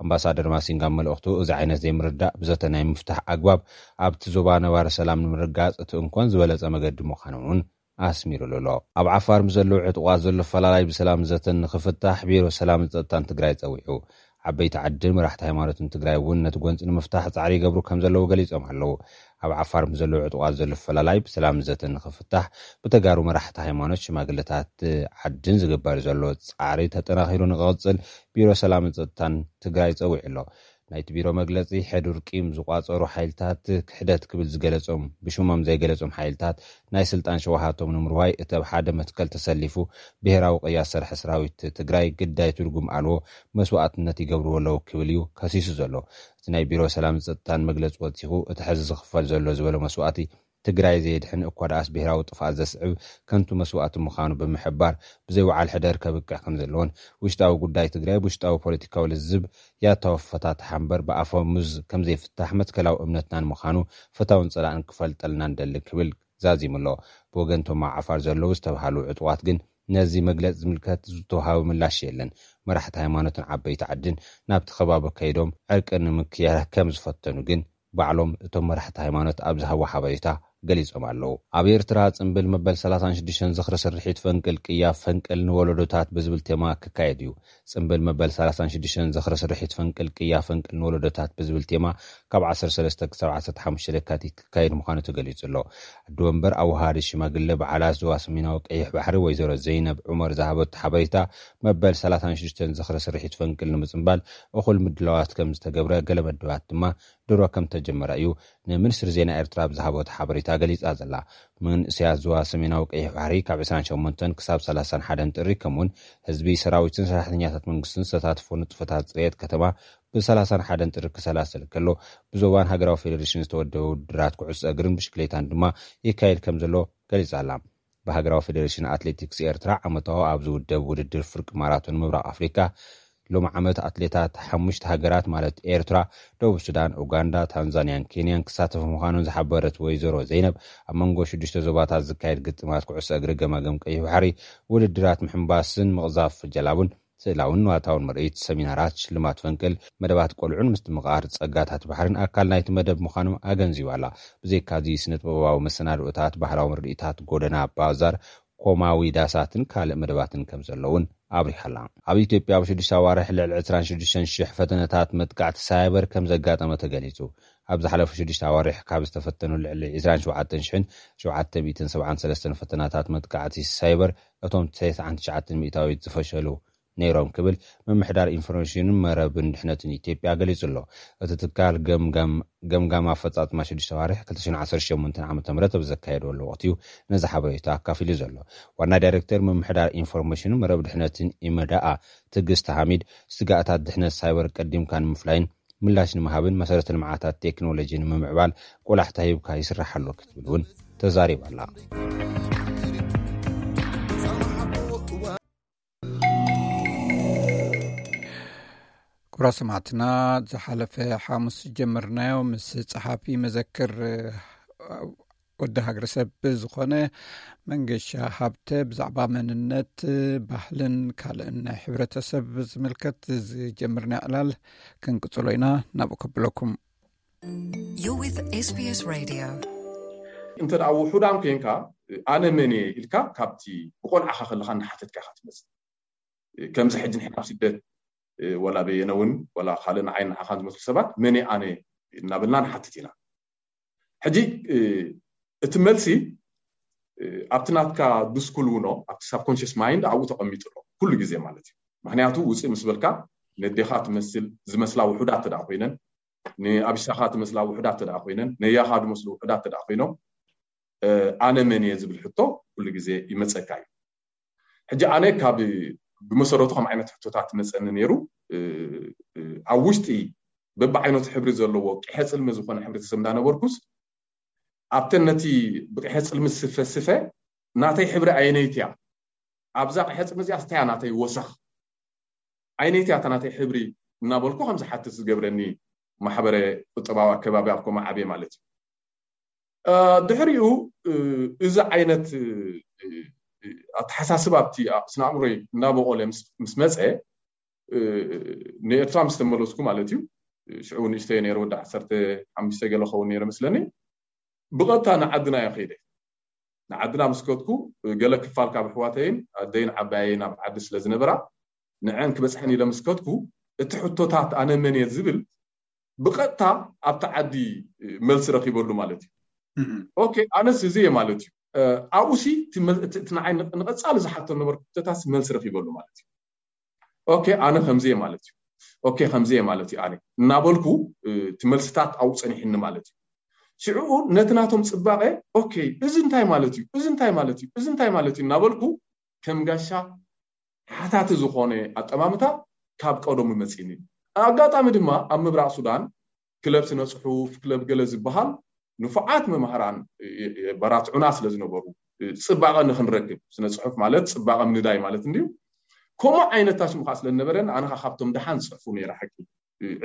ኣምባሳደር ማሲንጋ ኣብ መልእኽቱ እዚ ዓይነት ዘይምርዳእ ብዘተ ናይ ምፍታሕ ኣግባብ ኣብቲ ዞባ ነባሪ ሰላም ንምርጋጽ እቲ እንኮን ዝበለጸ መገዲ ምዃኑ እውን ኣስሚሩሉ ኣሎ። ኣብ ዓፋር ምስ ዘለዉ ዕጡቓት ዘሎ ፈላላይ ብሰላም ዘተን ንኽፍታሕ ቢሮ ሰላምን ጸጥታን ትግራይ ጸዊዑ። ዓበይቲ ዓድን መራሕቲ ሃይማኖትን ትግራይ እውን ነቲ ጎንፂ ንምፍታሕ ጻዕሪ ይገብሩ ከም ዘለዉ ገሊጾም ኣለዉ። ኣብ ዓፋር ምስ ዘለዉ ዕጡቓት ዘሎ ፈላላይ ብሰላም ዘተን ንኽፍታሕ ብተጋሩ መራሕቲ ሃይማኖት፣ ሽማግለታት ዓድን ዝግበር ዘሎ ጻዕሪ ተጠናኺሩ ንክቕጽል ቢሮ ሰላምን ጸጥታን ትግራይ ጸዊዑ ኣሎ። ናይቲ ቢሮ መግለጺ፣ ሕዱር ቂም ዝቋጸሩ ሓይልታት ክሕደት ክብል ዝገለጾም፣ ብሽሞም ዘይገለጾም ሓይልታት ናይ ስልጣን ሸውሃቶም ንምርዋይ እቲ ኣብ ሓደ መትከል ተሰሊፉ ብሄራዊ ቅያ ዝሰርሐ ሰራዊት ትግራይ ግዳይ ትርጉም ኣልቦ መስዋእትነት ይገብርዎ ኣለዉ ክብል እዩ ከሲሱ ዘሎ። እቲ ናይ ቢሮ ሰላምን ጸጥታን መግለጺ ወሲኹ፣ እቲ ሕዚ ዝኽፈል ዘሎ ዝበሎ መስዋእቲ ትግራይ ዘየድሕን እኳ ደኣስ ብሄራዊ ጥፍኣት ዘስዕብ ከንቱ መስዋእቲ ምዃኑ ብምሕባር፣ ብዘይ ወዓል ሕደር ከብቅዕ ከም ዘለዎን ውሽጣዊ ጉዳይ ትግራይ ብውሽጣዊ ፖለቲካዊ ልዝብ ያታዊ ፈታትሓ እምበር ብኣፈሙዝ ከም ዘይፍታሕ መትከላዊ እምነትናን ምዃኑ ፈታውን ጸላእን ክፈልጠልና ንደሊ ክብል ዛዚሙ ኣሎ። ብወገን እቶም ኣብ ዓፋር ዘለዉ ዝተብሃሉ ዕጡቓት ግን ነዚ መግለጺ ዝምልከት ዝተውሃበ ምላሽ የለን። መራሕቲ ሃይማኖትን ዓበይቲ ዓድን ናብቲ ከባቢ ከይዶም ዕርቂ ንምክያድ ከም ዝፈተኑ ግን ባዕሎም እቶም መራሕቲ ሃይማኖት ኣብ ዝሃብዎ ሓበሬታ ገሊጾም ኣለዉ። ኣብ ኤርትራ ጽምብል መበል ሰላሳን ሽዱሽተን ዝኽሪ ስርሒት ፈንቅል ቅያ ፈንቅል ንወለዶታት ብዝብል ቴማ ክካየድ እዩ። ጽምብል መበል ሰላሳን ሽዱሽተን ዝኽሪ ስርሒት ፈንቅል ቅያ ፈንቅል ንወለዶታት ብዝብል ቴማ ካብ ዓሰርተ ሰለስተ ክሳብ ዓሰርተ ሓሙሽተ ለካቲት ክካየድ ምዃኑ ተገሊጹ ኣሎ። ኣዲ ወንበር ኣወሃሃዲ ሽማግለ በዓላት ዞባ ሰሜናዊ ቀይሕ ባሕሪ ወይዘሮ ዘይነብ ዑመር ዝሃበቶ ሓበሬታ፣ መበል ሰላሳን ሽዱሽተን ዝኽሪ ስርሒት ፈንቅል ንምጽምባል እኹል ምድላዋት ከም ዝተገብረ፣ ገለ መደባት ድማ ድሮ ከም ተጀመረ እዩ ንሚኒስትሪ ዜና ኤርትራ ብዝሃበቶ ሓበሬታ ገሊጻ ዘላ። መንእሰያት ዞባ ሰሜናዊ ቀይሕ ባሕሪ ካብ ዕስራን ሸሞንተን ክሳብ ሰላሳን ሓደን ጥሪ፣ ከምኡውን ህዝቢ፣ ሰራዊትን ሰራሕተኛታት መንግስትን ዝተሳተፎ ንጥፈታት ጽሬት ከተማ ብሰላሳን ሓደን ጥሪ ክሰላሰል ከሎ፣ ብዞባን ሃገራዊ ፌዴሬሽን ዝተወደበ ውድድራት ኩዕሶ እግርን ብሽክሌታን ድማ ይካየድ ከም ዘሎ ገሊጻ ኣላ። ብሃገራዊ ፌዴሬሽን ኣትሌቲክስ ኤርትራ ዓመታዊ ኣብ ዝውደብ ውድድር ፍርቂ ማራቶን ምብራቕ ኣፍሪካ ሎሚ ዓመት ኣትሌታት ሓሙሽተ ሃገራት ማለት ኤርትራ፣ ደቡብ ሱዳን፣ ኡጋንዳ፣ ታንዛንያን ኬንያን ክሳተፉ ምዃኖም ዝሓበረት ወይዘሮ ዘይነብ፣ ኣብ መንጎ ሽዱሽተ ዞባታት ዝካየድ ግጥማት ኩዕሶ እግሪ ገማግም ቀይሕ ባሕሪ፣ ውድድራት ምሕንባስን ምቕዛፍ ጀላቡን፣ ስእላውን ንዋታውን ምርኢት፣ ሰሚናራት፣ ሽልማት ፈንቅል፣ መደባት ቆልዑን ምስትምቓር ጸጋታት ባሕርን ኣካል ናይቲ መደብ ምዃኖም ኣገንዚባላ። ብዘይካዚ ስነ ጥበባዊ መሰናድኦታት፣ ባህላዊ ምርኢታት፣ ጎደና፣ ባዛር፣ ኮማዊ ዳሳትን ካልእ መደባትን ከም ዘለውን ኣብሪሃላ። ኣብ ኢትዮጵያ ኣብ ሽዱሽተ ኣዋርሕ ልዕሊ ዕስራን ሽዱሽተን ሽሕ ፈተነታት መጥቃዕቲ ሳይበር ከም ዘጋጠመ ተገሊጹ። ኣብ ዝሓለፉ ሽዱሽተ ኣዋርሕ ካብ ዝተፈተኑ ልዕሊ ዕስራን ሸውዓተን ሽሕን ሸውዓተ ሚእትን ሰብዓን ሰለስተን ፈተናታት መጥቃዕቲ ሳይበር፣ እቶም ተስዓን ትሽዓተን ሚእታዊት ዝፈሸሉ ነይሮም ክብል ምምሕዳር ኢንፎርሜሽንን መረብን ድሕነትን ኢትዮጵያ ገሊጹ ኣሎ። እቲ ትካል ገምጋም ገምጋም ኣፈጻጽማ ሽዱሽተ ኣዋርሕ ክልተ ሽሕን ዓሰርተ ሸሞንተን ዓመተ ምህረት ኣብ ዘካየደሉ ወቕቲ እዩ ነዚ ሓበሬታ ኣካፊሉ ዘሎ። ዋና ዳይሬክተር ምምሕዳር ኢንፎርሜሽን መረብ ድሕነትን ኢመዳኣ ትዕግስቲ ሓሚድ፣ ስጋኣታት ድሕነት ሳይበር ቀዲምካ ንምፍላይን ምላሽ ንምሃብን መሰረተ ልምዓታት ቴክኖሎጂ ንምምዕባል ቆላሕታ ሂብካ ይስራሕ ኣሎ ክትብል እውን ተዛሪባ ኣላ። ኩቡራት ሰማዕትና፣ ዝሓለፈ ሓሙስ ጀመርናዮ ምስ ጸሓፊ መዘክር ወዲ ሃገረሰብ ዝኾነ መንገሻ ሃብተ ብዛዕባ መንነት፣ ባህልን ካልእን ናይ ሕብረተሰብ ዝምልከት ዝጀመርና ዕላል ክንቅጽሎ ኢና። ናብኡ ከብለኩም። You're with SBS Radio. እንተ ደኣ ውሑዳን ኮንካ፣ ኣነ መን እየ ኢልካ ካብቲ ብቆልዓኻ ከለኻ እናሓተትካ ኢኻ ትመጽእ። ከምዚ ሕጂ ንሕና ኣብ ስደት፣ ወላ በየነ እውን፣ ወላ ካልእ ንዓይ ንዓኻን ዝመስሉ ሰባት፣ መን እየ ኣነ እናበልና ንሓትት ኢና። ሕጂ፣ እቲ መልሲ፣ ኣብቲ ናትካ ድስኩል ውኖ፣ ኣብቲ ሳብኮንሽስ ማይንድ ኣብኡ ተቐሚጡ ኣሎ፣ ኩሉ ግዜ ማለት እዩ። ምኽንያቱ ውፅእ ምስ በልካ፣ ነዴኻ ትመስል፣ ዝመስላ ውሑዳት ተደኣ ኮይነን፣ ንኣቢሳኻ ትመስላ ውሑዳት ተደኣ ኮይነን፣ ነያኻ ዝመስሉ ውሑዳት ተደኣ ኮይኖም፣ ኣነ መን እየ ዝብል ሕቶ ኩሉ ግዜ ይመፀካ እዩ። ሕጂ ኣነ ካብ ብመሰረቱ ከም ዓይነት ሕቶታት መፀኒ ነይሩ። ኣብ ውሽጢ በብዓይነቱ ሕብሪ ዘለዎ ቂሐ ፅልሚ ዝኾነ ሕብረተሰብ እንዳነበርኩስ፣ ኣብተን ነቲ ብቂሐ ፅልሚ ዝስፈ ስፈ ናተይ ሕብሪ ኣየነይቲ እያ? ኣብዛ ቂሐ ፅልሚ እዚኣ ስታያ ናተይ ወሰኽ ኣየነይቲ እያ እታ ናተይ ሕብሪ እናበልኩ ከም ዝሓትት ዝገብረኒ ማሕበረ ቁጠባዊ ኣከባቢ ኣብ ኮማ ዓብየ ማለት እዩ። ድሕሪኡ እዚ ዓይነት ኣተሓሳስባ ኣብቲ ስነ ኣእምሮይ እናበቆለ ምስ መፀ፣ ንኤርትራ ምስ ተመለስኩ ማለት እዩ። ሽዑ ንእሽተይ ነይረ፣ ወዲ ዓሰርተ ሓሙሽተ ገለ ኸውን ነይረ መስለኒ። ብቐጥታ ንዓድና እየ ከይደ። ንዓድና ምስ ከድኩ፣ ገለ ክፋል ካብ ኣሕዋተይን ኣደይን ዓባየይን ኣብ ዓዲ ስለ ዝነበራ፣ ንዐን ክበጽሐን ኢለ ምስ ከድኩ፣ እቲ ሕቶታት ኣነ መን እየ ዝብል ብቐጥታ ኣብቲ ዓዲ መልሲ ረኺበሉ ማለት እዩ። ኦኬ፣ ኣነስ እዚ እየ ማለት እዩ። ኣብኡሲ እቲ ንዓይ ንቐጻሊ ዝሓቶ ነበርኩ ሕቶታት መልሲ ረኺበሉ ማለት እዩ። ኦኬ፣ ኣነ ከምዚ እየ ማለት እዩ። ኦኬ፣ ከምዚ እየ ማለት እዩ ኣነ እናበልኩ፣ እቲ መልስታት ኣብኡ ጸኒሕኒ ማለት እዩ። ሽዕኡ ነቲ ናቶም ጽባቐ፣ ኦኬ፣ እዚ እንታይ ማለት እዩ? እዚ እንታይ ማለት እዩ? እዚ እንታይ ማለት እዩ እናበልኩ ከም ጋሻ ሓታቲ ዝኾነ ኣጠማምታ ካብ ቀደሙ መጺኒ። ኣጋጣሚ ድማ ኣብ ምብራቕ ሱዳን ክለብ ስነ ጽሑፍ፣ ክለብ ገለ ዝበሃል ንፉዓት መማህራን የበራትዑና ስለ ዝነበሩ፣ ጽባቐ ንኽንረክብ፣ ስነ ጽሑፍ ማለት ጽባቐ ምንዳይ ማለት እንድዩ። ከምኡ ዓይነት ታሽሙ ከዓ ስለ ዝነበረን ኣነ ከዓ ካብቶም ደሓን ዝጽሕፉ ነይረ ሓቂ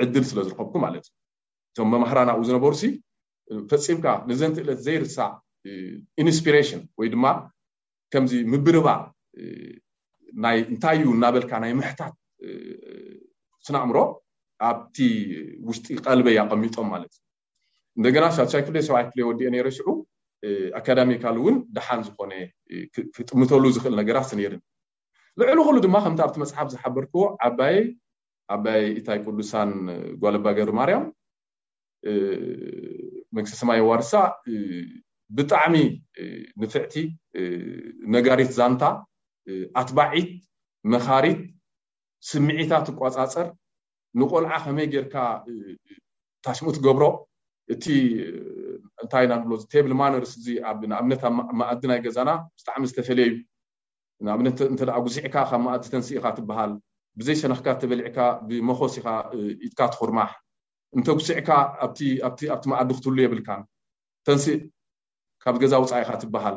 ዕድል ስለ ዝረኸብኩ ማለት እዩ። እቶም መማህራን ኣብኡ ዝነበሩሲ ፈጺምካ ንዘንትእለት ዘይርሳዕ ኢንስፒሬሽን ወይ ድማ ከምዚ ምብርባር ናይ እንታይ እዩ እናበልካ ናይ ምሕታት ስነ ኣእምሮ ኣብቲ ውሽጢ ቀልበይ ኣቐሚጦም ማለት እዩ። እንደገና ሻድሻይ ክፍለ ሰብዓይ ክፍለ ወዲኤ ነይረ ሽዑ ኣካዳሚካል እውን ደሓን ዝኾነ ክጥምተሉ ዝኽእል ነገራት ነይርን። ልዕሊ ኩሉ ድማ ከምቲ ኣብቲ መፅሓፍ ዝሓበርክዎ ዓባይ ዓባይ ኢታይ ቅዱሳን ጓለባ ገብረ ማርያም መንግስተ ሰማይ የዋርሳ ብጣዕሚ ንፍዕቲ ነጋሪት ዛንታ ኣትባዒት መኻሪት ስምዒታ ትቋፃፀር ንቆልዓ ከመይ ጌርካ ታሽሙ ትገብሮ እቲ እንታይ ኢና ንብሎ ቴብል ማነርስ እዚ ኣብ ንኣብነት ኣብ መኣዲ ናይ ገዛና ብጣዕሚ ዝተፈለየ እዩ። ንኣብነት እንተ ደኣ ጉሲዕካ ካብ መኣዲ ተንስእ ኢኻ ትበሃል። ብዘይ ሸነኽካ ተበሊዕካ ብመኾስ ኢኻ ኢድካ ትኹርማሕ። እንተ ጉሲዕካ ኣብቲ ኣብቲ ኣብቲ መኣዲ ክትህሉ የብልካን። ተንስእ ካብ ገዛ ውጻእ ኢኻ ትበሃል።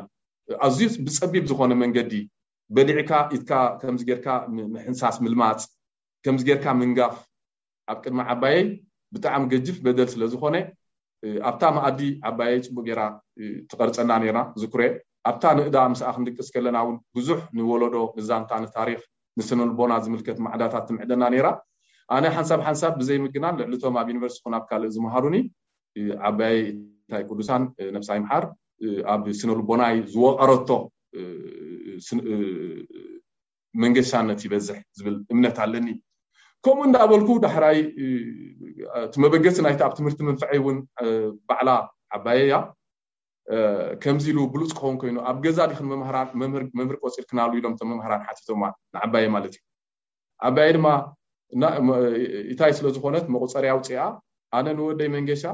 ኣዝዩ ብጸቢብ ዝኾነ መንገዲ በሊዕካ ኢድካ ከምዚ ጌርካ ምሕንሳስ ምልማጽ ከምዚ ጌርካ ምንጋፍ ኣብ ቅድሚ ዓባየይ ብጣዕሚ ገጅፍ በደል ስለ ዝኾነ ኣብታ መኣዲ ዓባየይ ፅቡቅ ጌራ ትቐርፀና ነይራ። ዝኩሬ ኣብታ ንእዳ ምስኣ ክንድቅስ ከለና እውን ብዙሕ ንወለዶ ንዛንታ ንታሪክ ንስነልቦና ዝምልከት ማዕዳታት ትምዕደና ነይራ። ኣነ ሓንሳብ ሓንሳብ ብዘይምግናን ልዕልቶም ኣብ ዩኒቨርሲቲ ኹን ኣብ ካልእ ዝመሃሩኒ ዓባየይ እንታይ ቅዱሳን ነብሳ ይምሓር ኣብ ስነልቦናይ ዝወቀረቶ መንገሻነት ይበዝሕ ዝብል እምነት ኣለኒ። ከምኡ እንዳበልኩ ዳሕራይ እቲ መበገሲ ናይቲ ኣብ ትምህርቲ መንፍዐይ እውን ባዕላ ዓባየ እያ። ከምዚ ኢሉ ብሉፅ ክኸውን ኮይኑ ኣብ ገዛ ዲኽን መምህራን መምህር መምህር ቆፂርክናሉ ኢሎም እቶም መምህራን ሓቲቶማ ንዓባየ ማለት እዩ። ዓባየ ድማ እንታይ ስለ ዝኾነት መቁፀሪ ኣውፅኣ ኣነ ንወደይ መንገሻ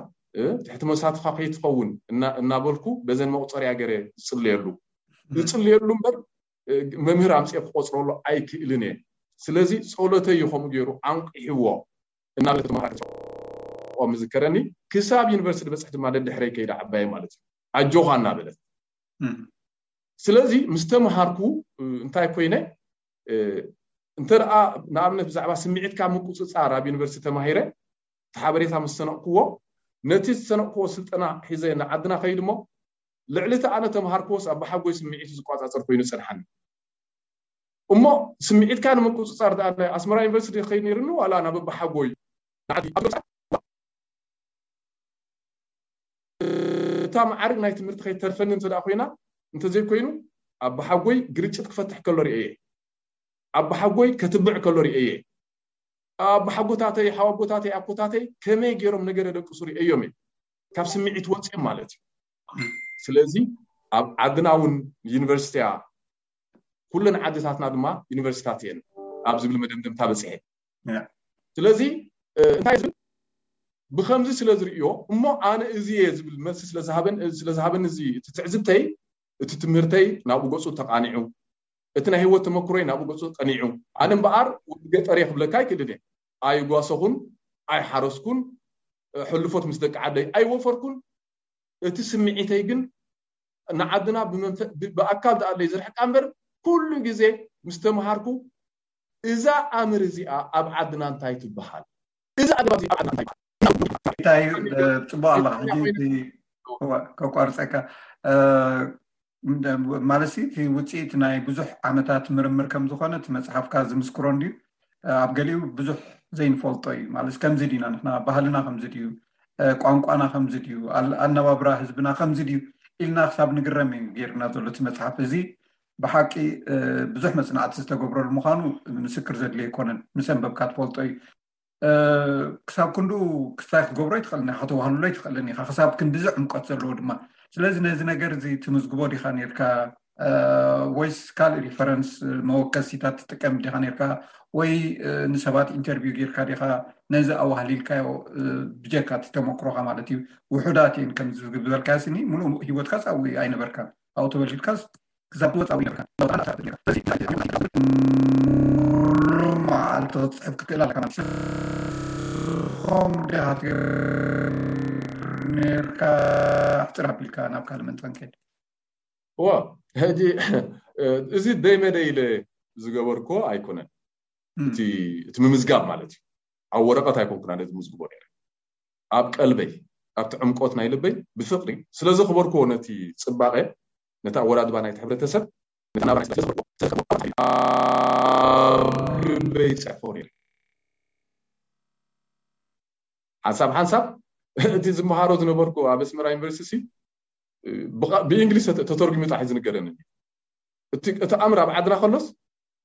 ትሕቲ መሳትፋ ከይትኸውን እናበልኩ በዘን መቁፀሪያ ገረ ዝፅልየሉ ዝፅልየሉ እምበር መምህር ኣምፅኤ ክቆፅረሉ ኣይክእልን እየ። ስለዚ ፀሎተይ እዩ ከምኡ ገይሩ ኣንቂሕዎ እናበለት ተመሃራሪ ቆም ዝከረኒ ክሳብ ዩኒቨርሲቲ በፅሕ ድማ ደድሕረይ ከይዳ ዓባየ ማለት እዩ ኣጆኻ እናበለት። ስለዚ ምስ ተምሃርኩ እንታይ ኮይነ እንተ ደኣ ንኣብነት ብዛዕባ ስምዒትካ ምቁፅፃር ኣብ ዩኒቨርሲቲ ተማሂረ እቲ ሓበሬታ ምስ ሰነቕክዎ ነቲ ዝሰነቕክዎ ስልጠና ሒዘ ንዓድና ከይድ እሞ ልዕሊ እቲ ኣነ ተምሃርክዎስ ኣባሓጎይ ስምዒቱ ዝቋፃፀር ኮይኑ ይፀንሓኒ። እሞ ስምዒትካ ንምቁፅፃር ደኣ ናይ ኣስመራ ዩኒቨርሲቲ ከይድ ነይርኒ ዋላ ናብ ኣባሓጎይ ንዓዲ እታ መዓርግ ናይ ትምህርቲ ከይተርፈኒ እንተ ኮይና እንተዘይኮይኑ ኣባሓጎይ ግርጭት ክፈትሕ ከሎ ርእየ ኣባሓጎይ ከትብዕ ከሎ ርእየ ኣባሓጎታተይ ሓዋቦታተይ ኣኮታተይ ከመይ ገይሮም ነገር የደቅሱ ርእየዮም እየ ካብ ስምዒት ወፅኦም ማለት እዩ ስለዚ ኣብ ዓድና እውን ዩኒቨርሲቲያ ኩለን ዓድታትና ድማ ዩኒቨርሲታት እየን ኣብ ዝብል መደምደምታ በፅሐ ስለዚ እንታይ ዝብል ብከምዚ ስለ ዝርእዮ እሞ ኣነ እዚ እየ ዝብል መልሲ ስለዝሃበን ስለዝሃበን እዚ እቲ ትዕዝብተይ እቲ ትምህርተይ ናብኡ ገፁ ተቃኒዑ እቲ ናይ ህይወት ተመክሮይ ናብኡ ገፁ ቀኒዑ ኣነ እምበኣር ወዲ ገጠር እየ ክብለካ ኣይክእልን እየ ኣይጓሰኹን ኣይሓረስኩን ሕልፎት ምስ ደቂ ዓደይ ኣይወፈርኩን እቲ ስምዒተይ ግን ንዓድና ብኣካል ደኣለይ ዝርሕቃ እምበር ኩሉ ግዜ ምስ ተምሃርኩ እዛ ኣምር እዚኣ ኣብ ዓድና እንታይ ትበሃል? እዛ ኣገባብ እዚኣ ኣብ ዓድና እንታይ ትበሃል? እንታይ እዩ? ጽቡቅ ኣላ ሕጂ ከቋርፀካ ማለት እቲ ውፅኢት ናይ ብዙሕ ዓመታት ምርምር ከም ዝኾነ እቲ መፅሓፍካ ዝምስክሮ እንድዩ ኣብ ገሊኡ ብዙሕ ዘይንፈልጦ እዩ ማለት ከምዚ ድና ንሕና ባህልና ከምዚ ድዩ ቋንቋና ከምዚ ድዩ ኣነባብራ ህዝብና ከምዚ ድዩ ኢልና ክሳብ ንግረም እዩ ገይርና ዘሎ እቲ መፅሓፍ እዚ ብሓቂ ብዙሕ መፅናዕቲ ዝተገብረሉ ምዃኑ ምስክር ዘድልዮ ኣይኮነን ምስ ኣንበብካ ትፈልጦ እዩ ክሳብ ክንዱ ክስታይ ክትገብሮ ይትኽእልን ኢኻ ከተዋህልሎ ይትኽእልን ኢኻ ክሳብ ክንድዚ ዕምቆት ዘለዎ ድማ ስለዚ ነዚ ነገር እዚ ትምዝግቦ ዲኻ ነርካ ወይስ ካልእ ሪፈረንስ መወከሲታት ትጥቀም ዲኻ ነርካ ወይ ንሰባት ኢንተርቪው ጌርካ ዲኻ ነዚ ኣዋህሊልካዮ ብጀካ እቲ ተመክሮኻ ማለት እዩ ውሑዳት እየን ከም ዝበልካዮ ስኒ ሙሉእ ህይወትካ ኣብኡ ኣይነበርካን ኣብኡ ተወሊድካስ ክሳብ ትወፅእ ኣብኡ ይነበርካ ለውጣ ኣሳርት ነርካ በዚ ናይ ናይ ናይ ሙሉ መዓልቲ ክትፅሕፍ ክትክእል ኣለካ ማለት እዩ ኾም ዲኻ ትገብር ነርካ ኣሕፅር ኣቢልካ ናብ ካልእ መንፃን ከይድ እዋ ሕጂ እዚ ደይመደ ኢለ ዝገበርኮ ኣይኮነን እቲ ምምዝጋብ ማለት እዩ ኣብ ወረቀት ኣይኮንኩን ኣነ ዝምዝግቦ ነረ ኣብ ቀልበይ ኣብቲ ዕምቆት ናይ ልበይ ብፍቅሪ ስለ ዘኽበርክዎ ነቲ ፅባቐ ነቲ ኣወዳድባ ናይቲ ሕብረተሰብ ነቲ ናብራ ናይ ስለ ዘኽበርክዎ ስለ ዘኽበርክዎ ኣብ ልበይ ይፅሕፎ ነረ ሓንሳብ ሓንሳብ እቲ ዝመሃሮ ዝነበርኩ ኣብ ኣስመራ ዩኒቨርሲቲ ብእንግሊዝ ተተርጉሙ ጣሕ ዝንገረኒ እቲ ኣምር ኣብ ዓድና ከሎስ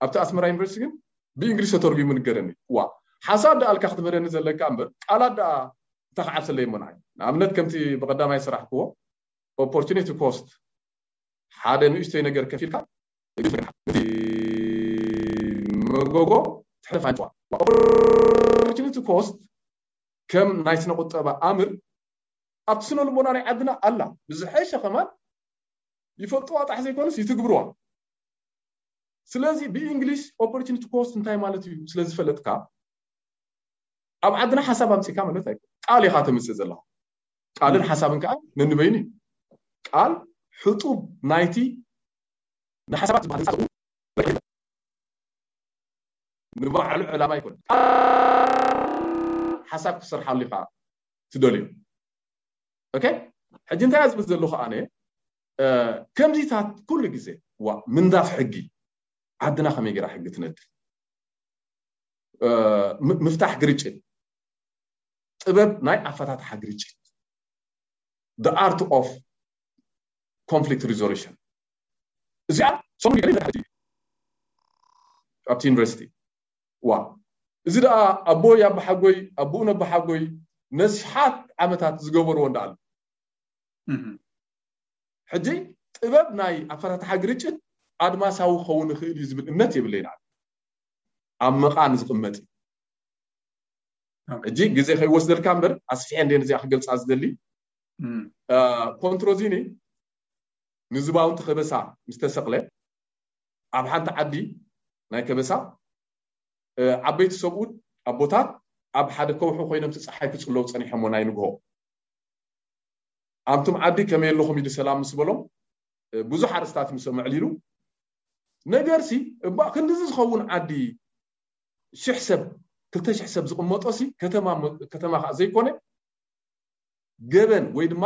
ኣብቲ ኣስመራ ዩኒቨርሲቲ ግን ብእንግሊዝ ተተርጉሙ ንገረኒ ዋ ሓሳብ ደኣልካ ክትምህረኒ ዘለካ እምበር ቃላት ደኣ እንተ ክዓብሰለይ እሞ ንዓይ ንኣብነት ከምቲ ብቐዳማይ ዝሰራሕክዎ ኦፖርቹኒቲ ኮስት ሓደ ንእሽተይ ነገር ከፊልካ መጎጎ ትሕልፍ ኣንጭዋ ኦፖርቹኒቲ ኮስት ከም ናይ ስነ ቁጠባ ኣምር ኣብቲ ስነ ልቦና ናይ ዓድና ኣላ ብዝሐሸ ከማን ይፈልጥዋ ጣሕ ዘይኮነስ ይትግብርዋ ስለዚ ብእንግሊሽ ኦፖርቹኒቲ ኮስት እንታይ ማለት እዩ ስለ ዝፈለጥካ ኣብ ዓድና ሓሳብ ኣምፅካ ማለት ኣይኮ ቃል ኢካ ተምፅእ ዘለካ ቃልን ሓሳብን ከዓ ነንበይኑ እዩ ቃል ሕጡብ ናይቲ ንሓሳባት ዝበሃል ህንፃ ንባዕሉ ዕላማ ኣይኮነ። ሓሳብ ክሰርሓሉ ኢኻ ትደልዮ። ኦኬ፣ ሕጂ እንታይ ዝብል ዘለኹ ኣነ፣ ከምዚታት ኩሉ ግዜ ዋ ምንዳፍ ሕጊ፣ ዓድና ከመይ ገይራ ሕጊ ትነድፍ፣ ምፍታሕ ግርጭት፣ ጥበብ ናይ ኣፈታትሓ ግርጭት፣ the art of conflict resolution። እዚኣ ሰሙን ገለ ይበሃል ሕጂ ኣብቲ ዩኒቨርሲቲ። ዋ፣ እዚ ደኣ ኣቦይ ኣባሓጎይ ኣቦኡን ኣባሓጎይ ነሽሓት ዓመታት ዝገበርዎ እንዳ ኣሎ። ሕጂ ጥበብ ናይ ኣፈታትሓ ግርጭት ኣድማሳዊ ክኸውን ይኽእል እዩ ዝብል እምነት የብለይን። ኣብ መቓን ዝቕመጥ እዩ። ሕጂ ግዜ ከይወስደልካ እምበር ኣስፊሐ እንደ ነዚኣ ክገልፃ ዝደሊ። ኮንትሮዚኒ ንዝባውንቲ ከበሳ ምስ ተሰቕለ ኣብ ሓንቲ ዓዲ ናይ ከበሳ ዓበይቲ ሰብኡት ኣቦታት ኣብ ሓደ ከውሒ ኮይኖም እቲ ፀሓይ ክፅለዉ ፀኒሖሞ ናይ ንግሆ ኣንቱም ዓዲ ከመይ ኣለኹም ኢሉ ሰላም ምስ በሎም ብዙሕ ኣርእስታት ምስ ኣዕሊሉ፣ ነገርሲ እባ ክንድዚ ዝኸውን ዓዲ ሽሕ ሰብ ክልተ ሽሕ ሰብ ዝቕመጦሲ ከተማ ከተማ ከዓ ዘይኮነ ገበን ወይ ድማ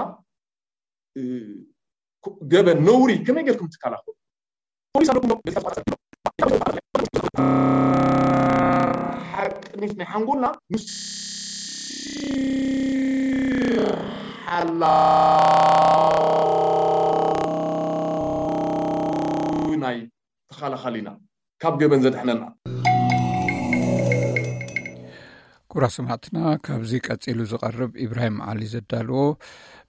ገበን ነውሪ ከመይ ጌርኩም ትከላኸሉ? ፖሊስ ኣለኩም ዶ? ሓቅኒት ናይ ሓንጎልና ምስ ሓላው ናይ ተኸላኸሊና ካብ ገበን ዘድሕነና። ኩራ ሰማዕትና፣ ካብዚ ቀጺሉ ዝቐርብ ኢብራሂም ዓሊ ዘዳልዎ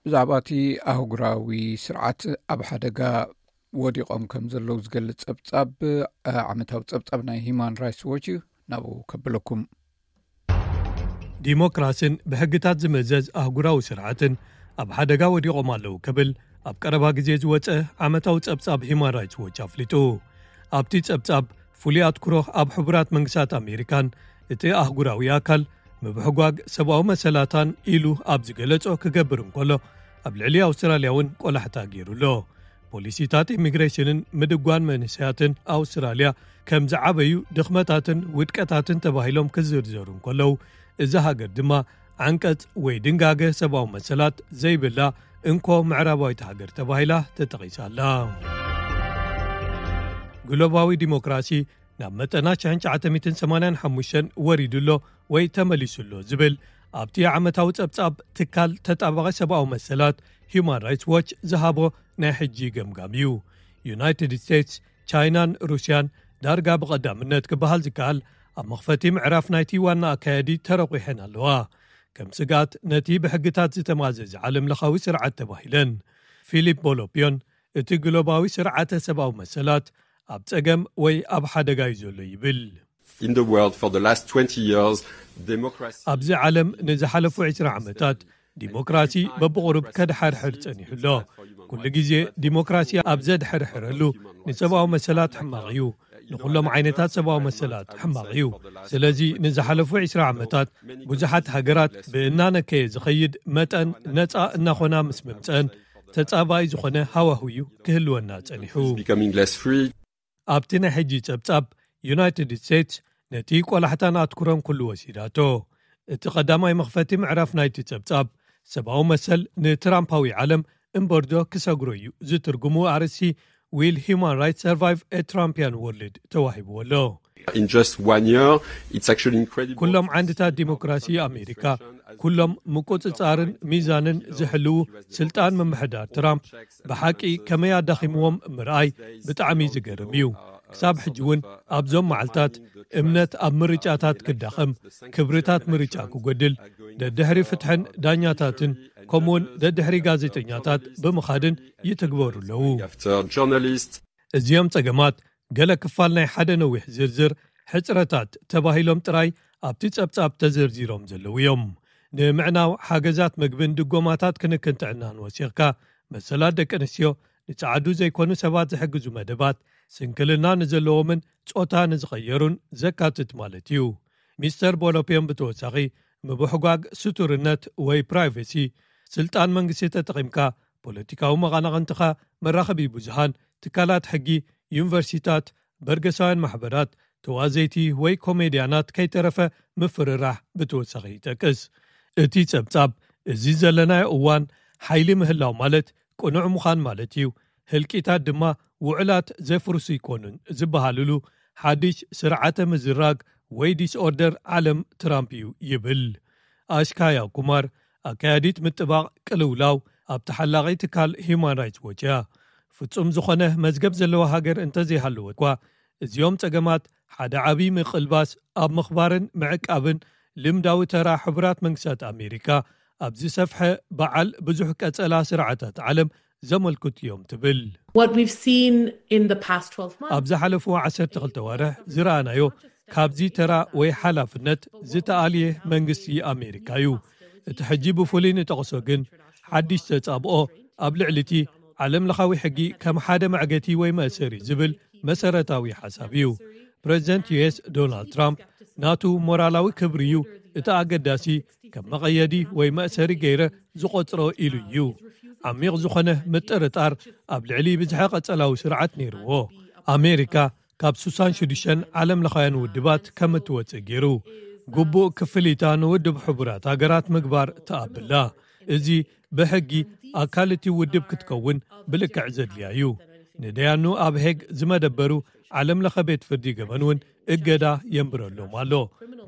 ብዛዕባ እቲ ኣህጉራዊ ስርዓት ኣብ ሓደጋ ወዲቖም ከም ዘለዉ ዝገልጽ ጸብጻብ፣ ዓመታዊ ጸብጻብ ናይ ሂማን ራይትስ ዎች እዩ። ናብኡ ከብለኩም። ዲሞክራሲን ብሕግታት ዝምእዘዝ ኣህጉራዊ ስርዓትን ኣብ ሓደጋ ወዲቖም ኣለዉ ክብል ኣብ ቀረባ ግዜ ዝወጸ ዓመታዊ ጸብጻብ ሂማን ራይትስ ዎች ኣፍሊጡ። ኣብቲ ጸብጻብ ፍሉይ ኣትኩሮ ኣብ ሕቡራት መንግስታት ኣሜሪካን እቲ ኣህጉራዊ ኣካል ምብሕጓግ ሰብኣዊ መሰላታን ኢሉ ኣብ ዝገለጾ ክገብር እንከሎ፣ ኣብ ልዕሊ ኣውስትራልያ እውን ቆላሕታ ገይሩ ኣሎ። ፖሊሲታት ኢሚግሬሽንን ምድጓን መንእሰያትን ኣውስትራልያ ከም ዝዓበዩ ድኽመታትን ውድቀታትን ተባሂሎም ክዝርዘሩ እንከለዉ፣ እዛ ሃገር ድማ ዓንቀጽ ወይ ድንጋገ ሰብኣዊ መሰላት ዘይብላ እንኮ ምዕራባዊት ሃገር ተባሂላ ተጠቒሳ ኣላ። ግሎባዊ ዲሞክራሲ ናብ መጠና ሽሕን ትሽዓተ ሚእትን ሰማንያን ሓሙሽተን ወሪዱ ኣሎ ወይ ተመሊሱ ኣሎ ዝብል ኣብቲ ዓመታዊ ጸብጻብ ትካል ተጣባቒ ሰብኣዊ መሰላት ሂዩማን ራይትስ ዎች ዝሃቦ ናይ ሕጂ ገምጋም እዩ። ዩናይትድ ስቴትስ፣ ቻይናን ሩስያን ዳርጋ ብቐዳምነት ክበሃል ዝከኣል ኣብ መኽፈቲ ምዕራፍ ናይቲ ዋና ኣካያዲ ተረቑሐን ኣለዋ። ከም ስግኣት ነቲ ብሕግታት ዝተማዘዘ ዓለምለኻዊ ስርዓት ተባሂለን። ፊሊፕ ቦሎፒዮን እቲ ግሎባዊ ስርዓተ ሰብኣዊ መሰላት ኣብ ጸገም ወይ ኣብ ሓደጋ እዩ ዘሎ ይብል። In the world for the last twenty years, democracy ኣብዚ ዓለም ንዝሓለፉ ዕስራ ዓመታት ዲሞክራሲ በብቑሩብ ከድሓርሕር ጸኒሑ ኣሎ። ኩሉ ግዜ ዲሞክራሲ ኣብ ዘድሕርሕረሉ ንሰብኣዊ መሰላት ሕማቕ እዩ። ንኹሎም ዓይነታት ሰብኣዊ መሰላት ሕማቕ እዩ። ስለዚ ንዝሓለፉ ዕስራ ዓመታት ብዙሓት ሃገራት ብእናነከየ ዝኸይድ መጠን ነጻ እናኾና ምስ ምምጸአን ተጻባኢ ዝኾነ ሃዋህው እዩ ክህልወና ጸኒሑ። becoming less free. ኣብቲ ናይ ሕጂ ጸብጻብ ዩናይትድ ስቴትስ ነቲ ቆላሕታን ኣትኩሮን ኩሉ ወሲዳቶ። እቲ ቀዳማይ መኽፈቲ ምዕራፍ ናይቲ ጸብጻብ ሰብኣዊ መሰል ንትራምፓዊ ዓለም እምበርዶ ክሰግሮ እዩ ዝትርጉሙ ኣርእስቲ Will Human Rights Survive a Trumpian World ተዋሂብዎ ኣሎ። In just one year, it's actually incredible. ኩሎም ዓንድታት ዲሞክራሲ ኣሜሪካ ኩሎም ምቁጽጻርን ሚዛንን ዝሕልዉ ስልጣን ምምሕዳር ትራምፕ ብሓቂ ከመይ ኣዳኺምዎም ምርኣይ ብጣዕሚ ዝገርም እዩ። ክሳብ ሕጂ እውን ኣብዞም መዓልታት እምነት ኣብ ምርጫታት ክዳኸም፣ ክብርታት ምርጫ ክጎድል፣ ደድሕሪ ፍትሕን ዳኛታትን ከምኡውን ደድሕሪ ጋዜጠኛታት ብምኻድን ይትግበሩ ኣለዉ። After journalists, እዚኦም ጸገማት ገለ ክፋል ናይ ሓደ ነዊሕ ዝርዝር ሕጽረታት ተባሂሎም ጥራይ ኣብቲ ጸብጻብ ተዘርዚሮም ዘለዉ እዮም። ንምዕናው ሓገዛት መግብን ድጎማታት ክንክን ጥዕናን ወሲኽካ፣ መሰላት ደቂ ኣንስትዮ፣ ንጸዓዱ ዘይኮኑ ሰባት ዝሕግዙ መደባት፣ ስንክልና ንዘለዎምን ጾታ ንዝቐየሩን ዘካትት ማለት እዩ። ሚስተር ቦሎፒዮን ብተወሳኺ ምብሕጓግ ስቱርነት ወይ ፕራይቬሲ፣ ስልጣን መንግስቲ ተጠቒምካ ፖለቲካዊ መቓናቕንትኻ፣ መራኸቢ ብዙሃን፣ ትካላት ሕጊ፣ ዩኒቨርሲታት፣ በርገሳውያን ማሕበራት፣ ተዋዘይቲ ወይ ኮሜድያናት ከይተረፈ ምፍርራሕ ብተወሳኺ ይጠቅስ። እቲ ጸብጻብ፣ እዚ ዘለናዮ እዋን ሓይሊ ምህላው ማለት ቅኑዕ ምዃን ማለት እዩ፣ ህልቂታት ድማ ውዕላት ዘፍርሱ ይኮኑን ዝበሃልሉ ሓድሽ ስርዓተ ምዝራግ ወይ ዲስኦርደር ዓለም ትራምፕ እዩ ይብል። ኣሽካያ ኩማር፣ ኣካያዲት ምጥባቕ ቅልውላው ኣብ ተሓላቒ ትካል ሂዩማን ራይትስ ዎች እያ። ፍጹም ዝኾነ መዝገብ ዘለዋ ሃገር እንተዘይሃለወ እኳ፣ እዚኦም ጸገማት ሓደ ዓቢ ምቕልባስ ኣብ ምኽባርን ምዕቃብን ልምዳዊ ተራ ሕቡራት መንግስታት ኣሜሪካ ኣብ ዝሰፍሐ በዓል ብዙሕ ቀጸላ ስርዓታት ዓለም ዘመልክቱ እዮም ትብል። What we've seen in the past twelve months ኣብ ዝሓለፉ ዓሰርተ ክልተ ዋርሕ ዝረኣናዮ ካብዚ ተራ ወይ ሓላፍነት ዝተኣልየ መንግስቲ ኣሜሪካ እዩ። እቲ ሕጂ ብፍሉይ ንጠቕሶ ግን ሓድሽ ተጻብኦ ኣብ ልዕሊ እቲ ዓለም ለኻዊ ሕጊ ከም ሓደ መዕገቲ ወይ መእሰሪ ዝብል መሰረታዊ ሓሳብ እዩ። ፕሬዚደንት ዩ ኤስ ዶናልድ ትራምፕ ናቱ ሞራላዊ ክብሪ እዩ እቲ ኣገዳሲ፣ ከም መቐየዲ ወይ መእሰሪ ገይረ ዝቖጽሮ ኢሉ እዩ። ዓሚቕ ዝኾነ ምጥርጣር ኣብ ልዕሊ ብዝሐ ቀጸላዊ ስርዓት ነይርዎ። ኣሜሪካ ካብ ሱሳን ሽዱሽተን ዓለም ለኻውያን ውድባት ከም እትወጽእ ገይሩ፣ ግቡእ ክፍሊታ ንውድብ ሕቡራት ሃገራት ምግባር ትኣብላ። እዚ ብሕጊ ኣካል እቲ ውድብ ክትከውን ብልክዕ ዘድልያ እዩ። ንደያኑ ኣብ ሄግ ዝመደበሩ ዓለም ለኸ ቤት ፍርዲ ገበን እውን እገዳ የንብረሎም ኣሎ።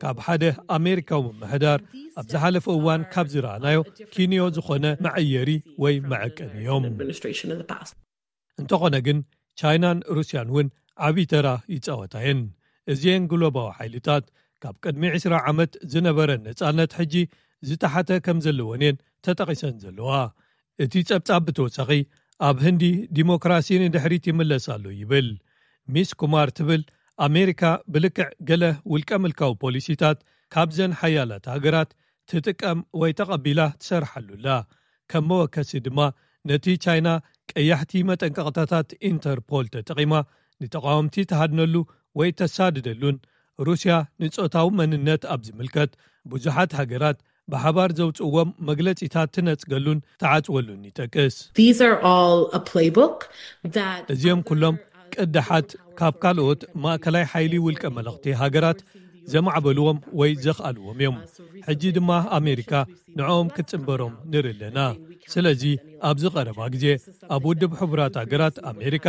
ካብ ሓደ ኣሜሪካዊ ምምሕዳር ኣብ ዝሓለፈ እዋን ካብ ዝረኣናዮ ኪንዮ ዝኾነ መዐየሪ ወይ መዐቀኒ እዮም። Administration in the past. እንተኾነ ግን ቻይናን ሩስያን እውን ዓብዪ ተራ ይጻወታ እየን። እዚአን ግሎባዊ ሓይልታት ካብ ቅድሚ ዕስራ ዓመት ዝነበረ ነጻነት ሕጂ ዝተሓተ ከም ዘለወን እየን ተጠቒሰን ዘለዋ። እቲ ጸብጻብ ብተወሳኺ ኣብ ህንዲ ዲሞክራሲ ንድሕሪት ይምለስ ኣሎ ይብል። ሚስ ኩማር ትብል ኣሜሪካ ብልክዕ ገለ ውልቀ ምልካዊ ፖሊሲታት ካብዘን ሓያላት ሃገራት ትጥቀም ወይ ተቐቢላ ትሰርሓሉ ኣላ። ከም መወከሲ ድማ ነቲ ቻይና ቀያሕቲ መጠንቀቕታታት ኢንተርፖል ተጠቒማ ንተቓወምቲ ትሃድነሉ ወይ ተሳድደሉን ሩስያ ንጾታዊ መንነት ኣብ ዝምልከት ብዙሓት ሃገራት ብሓባር ዘውጽእዎም መግለጺታት ትነጽገሉን ትዓጽወሉን ይጠቅስ። These are all a playbook that እዚኦም ኩሎም ቅድሓት ካብ ካልኦት ማእከላይ ሓይሊ ውልቀ መለኽቲ ሃገራት ዘማዕበልዎም ወይ ዘኽኣልዎም እዮም። ሕጂ ድማ ኣሜሪካ ንዕኦም ክትጽንበሮም ንርኢ ኣለና። ስለዚ ኣብዚ ቀረባ ግዜ ኣብ ውድብ ሕቡራት ሃገራት ኣሜሪካ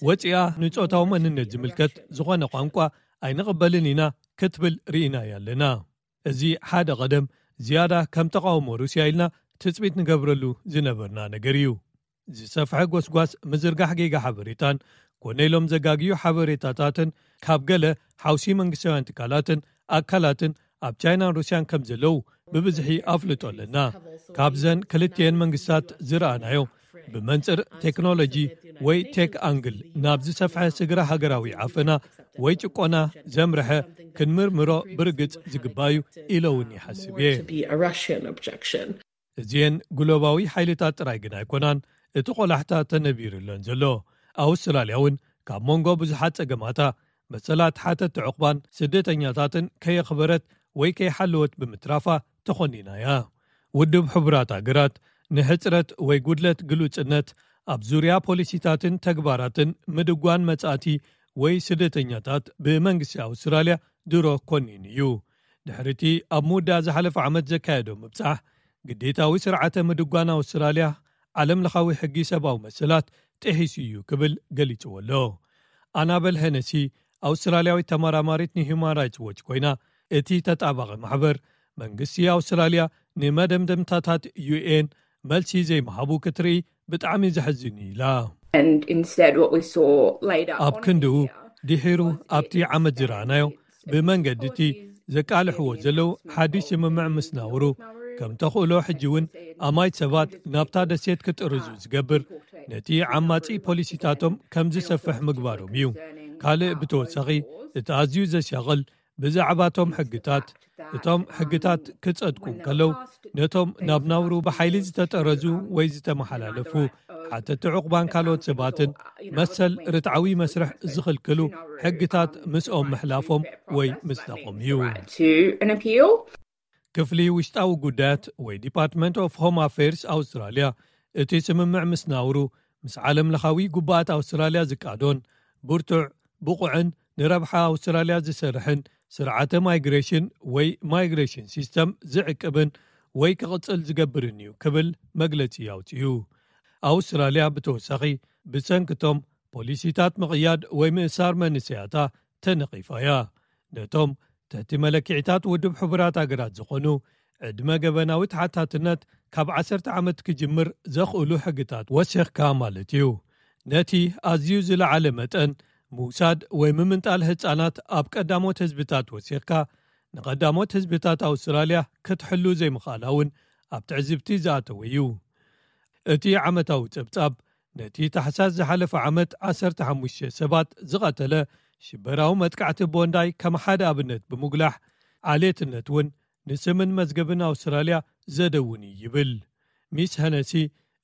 ወፂኣ ንጾታዊ መንነት ዝምልከት ዝኾነ ቋንቋ ኣይንቕበልን ኢና ክትብል ርኢናያ ኣለና። እዚ ሓደ ቀደም ዝያዳ ከም ተቓውሞ ሩስያ ኢልና ትጽቢት ንገብረሉ ዝነበርና ነገር እዩ። ዝሰፍሐ ጎስጓስ ምዝርጋሕ ጌጋ ሓበሬታን ኮነ ኢሎም ዘጋግዩ ሓበሬታታትን ካብ ገለ ሓውሲ መንግስታውያን ትካላትን ኣካላትን ኣብ ቻይናን ሩስያን ከም ዘለዉ ብብዝሒ ኣፍልጦ ኣለና። ካብዘን ክልቲኤን መንግስታት ዝረኣናዮ ብመንጽር ቴክኖሎጂ ወይ ቴክ ኣንግል ናብ ዝሰፍሐ ስግረ ሃገራዊ ዓፈና ወይ ጭቆና ዘምርሐ ክንምርምሮ ብርግጽ ዝግባእ እዩ ኢለ እውን ይሓስብ እየ። To be a Russian objection. እዚኤን ግሎባዊ ሓይልታት ጥራይ ግን ኣይኮናን እቲ ቆላሕታ ተነቢሩለን ዘሎ። ኣውስትራልያ እውን ካብ መንጎ ብዙሓት ጸገማታ መሰላት ሓተት ዕቑባን ስደተኛታትን ከየኽበረት ወይ ከይሓለወት ብምትራፋ ተኾኒና እያ። ውድብ ሕቡራት ሃገራት ንሕጽረት ወይ ጉድለት ግሉጽነት ኣብ ዙርያ ፖሊሲታትን ተግባራትን ምድጓን መጻእቲ ወይ ስደተኛታት ብመንግስቲ ኣውስትራልያ ድሮ ኮኒኑ እዩ። ድሕሪቲ ኣብ ምውዳእ ዝሓለፈ ዓመት ዘካየዶ ምብጻሕ፣ ግዴታዊ ስርዓተ ምድጓን ኣውስትራልያ ዓለም ለኻዊ ሕጊ ሰብኣዊ መሰላት ጥሒሱ እዩ ክብል ገሊጽዎ ኣሎ። ኣናበል ሄነሲ ኣውስትራልያዊት ተመራማሪት ንሂዩማን ራይትስ ዎች ኮይና፣ እቲ ተጣባቒ ማሕበር መንግስቲ ኣውስትራልያ ንመደምደምታታት ዩ ኤን መልሲ ዘይምሃቡ ክትርኢ ብጣዕሚ ዘሕዝን እዩ ኢላ። And instead, what we saw later ኣብ on ክንድኡ in the year ድሒሩ was ኣብቲ the ዓመት ዝረኣናዮ extent ብመንገዲ እቲ policies ዘቃልሕዎ and ዘለዉ more ሓድሽ ስምምዕ ምስ ናውሩ ከም ተኽእሎ ሕጂ እውን ኣማይት ሰባት ናብታ ደሴት ክጥርዙ ዝገብር ነቲ ዓማጺ ፖሊሲታቶም ከም ዝሰፍሕ ምግባሮም እዩ። ካልእ ብተወሳኺ እቲ ኣዝዩ ዘሻቕል ብዛዕባቶም ሕግታት እቶም ሕግታት ክጸድቁ እንከለዉ ነቶም ናብ ናውሩ ብሓይሊ ዝተጠረዙ ወይ ዝተመሓላለፉ ሓተቲ ዕቑባን ካልኦት ሰባትን መሰል ርትዓዊ መስርሕ ዝኽልክሉ ሕግታት ምስኦም ምሕላፎም ወይ ምስታቖም እዩ። To an appeal. ክፍሊ ውሽጣዊ ጉዳያት ወይ ዲፓርትመንት ኦፍ ሆም ኣፌርስ ኣውስትራልያ እቲ ስምምዕ ምስ ናውሩ ምስ ዓለም ለኻዊ ጉባኣት ኣውስትራልያ ዝቃዶን ብርቱዕ ብቑዕን ንረብሓ ኣውስትራልያ ዝሰርሕን ስርዓተ ማይግሬሽን ወይ ማይግሬሽን ሲስተም ዝዕቅብን ወይ ክቕጽል ዝገብርን እዩ ክብል መግለጺ ኣውጺኡ። ኣውስትራልያ ብተወሳኺ ብሰንክቶም ፖሊሲታት ምቕያድ ወይ ምእሳር መንስያታ ተነቒፋ እያ። ነቶም ትሕቲ መለክዒታት ውድብ ሕቡራት ሃገራት ዝኾኑ ዕድመ ገበናዊ ተሓታትነት ካብ ዓሰርተ ዓመት ክጅምር ዘኽእሉ ሕግታት ወሲኽካ ማለት እዩ። ነቲ ኣዝዩ ዝለዓለ መጠን ምውሳድ ወይ ምምንጣል ህጻናት ኣብ ቀዳሞት ህዝብታት ወሲኽካ፣ ንቐዳሞት ህዝብታት ኣውስትራልያ ክትሕሉ ዘይምኽኣላ እውን ኣብ ትዕዝብቲ ዝኣተወ እዩ። እቲ ዓመታዊ ጸብጻብ ነቲ ታሕሳስ ዝሓለፈ ዓመት ዓሰርተ ሓሙሽተ ሰባት ዝቐተለ ሽበራዊ መጥቃዕቲ ቦንዳይ ከም ሓደ ኣብነት ብምጉላሕ፣ ዓሌትነት እውን ንስምን መዝገብን ኣውስትራልያ ዘደውን እዩ ይብል። ሚስ ሄነሲ፣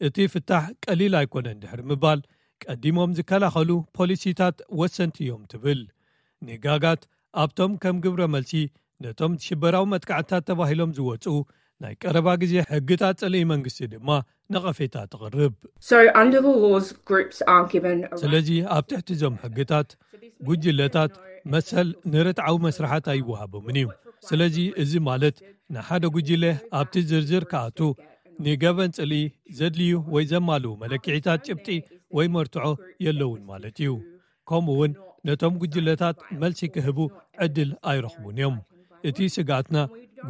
እቲ ፍታሕ ቀሊል ኣይኮነን ድሕሪ ምባል፣ ቀዲሞም ዝከላኸሉ ፖሊሲታት ወሰንቲ እዮም ትብል። ንጋጋት ኣብቶም ከም ግብረ መልሲ ነቶም ሽበራዊ መጥቃዕትታት ተባሂሎም ዝወጹ ናይ ቀረባ ግዜ ሕግታት ጽልኢ መንግስቲ ድማ ነቐፌታ ተቕርብ። So under the laws, groups aren't given a right. ስለዚ ኣብ ትሕቲ እዞም ሕግታት ጉጅለታት መሰል ንርትዓዊ መስርሓት ኣይወሃቦምን እዩ። ስለዚ እዚ ማለት ንሓደ ጉጅለ ኣብቲ ዝርዝር ክኣቱ ንገበን ጽልኢ ዘድልዩ ወይ ዘማልኡ መለክዒታት ጭብጢ ወይ መርትዖ የለውን ማለት እዩ። ከምኡ እውን ነቶም ጉጅለታት መልሲ ክህቡ ዕድል ኣይረኽቡን እዮም። እቲ ስግኣትና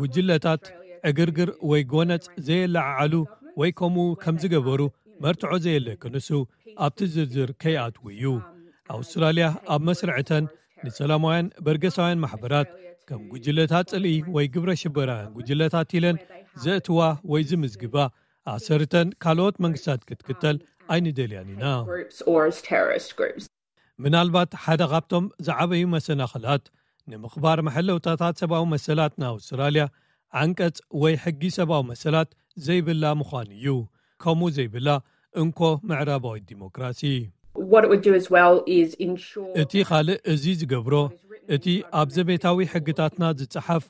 ጉጅለታት ዕግርግር ወይ ጎነጽ ዘየለዓዓሉ ወይ ከምኡ ከም ዝገበሩ መርትዖ ዘየለ ክንሱ ኣብቲ ዝርዝር ከይኣትዉ እዩ። ኣውስትራልያ ኣብ መስርዕተን ንሰላማውያን በርገሳውያን ማሕበራት ከም ጉጅለታት ጽልኢ ወይ ግብረ ሽበራውያን ጉጅለታት ኢለን ዘእትዋ ወይ ዝምዝግባ ኣሰርተን ካልኦት መንግስታት ክትክተል ኣይንደልያን ኢና። Groups or as terrorist groups. ምናልባት ሓደ ካብቶም ዝዓበዩ መሰናኽላት ንምኽባር መሐለውታታት ሰብኣዊ መሰላት ንኣውስትራልያ ዓንቀጽ ወይ ሕጊ ሰብኣዊ መሰላት ዘይብላ ምዃኑ እዩ። ከምኡ ዘይብላ እንኮ ምዕራባዊ ዲሞክራሲ። What it would do as well is ensure እቲ ካልእ እዚ ዝገብሮ እቲ ኣብ ዘቤታዊ ሕግታትና ዝጸሓፍ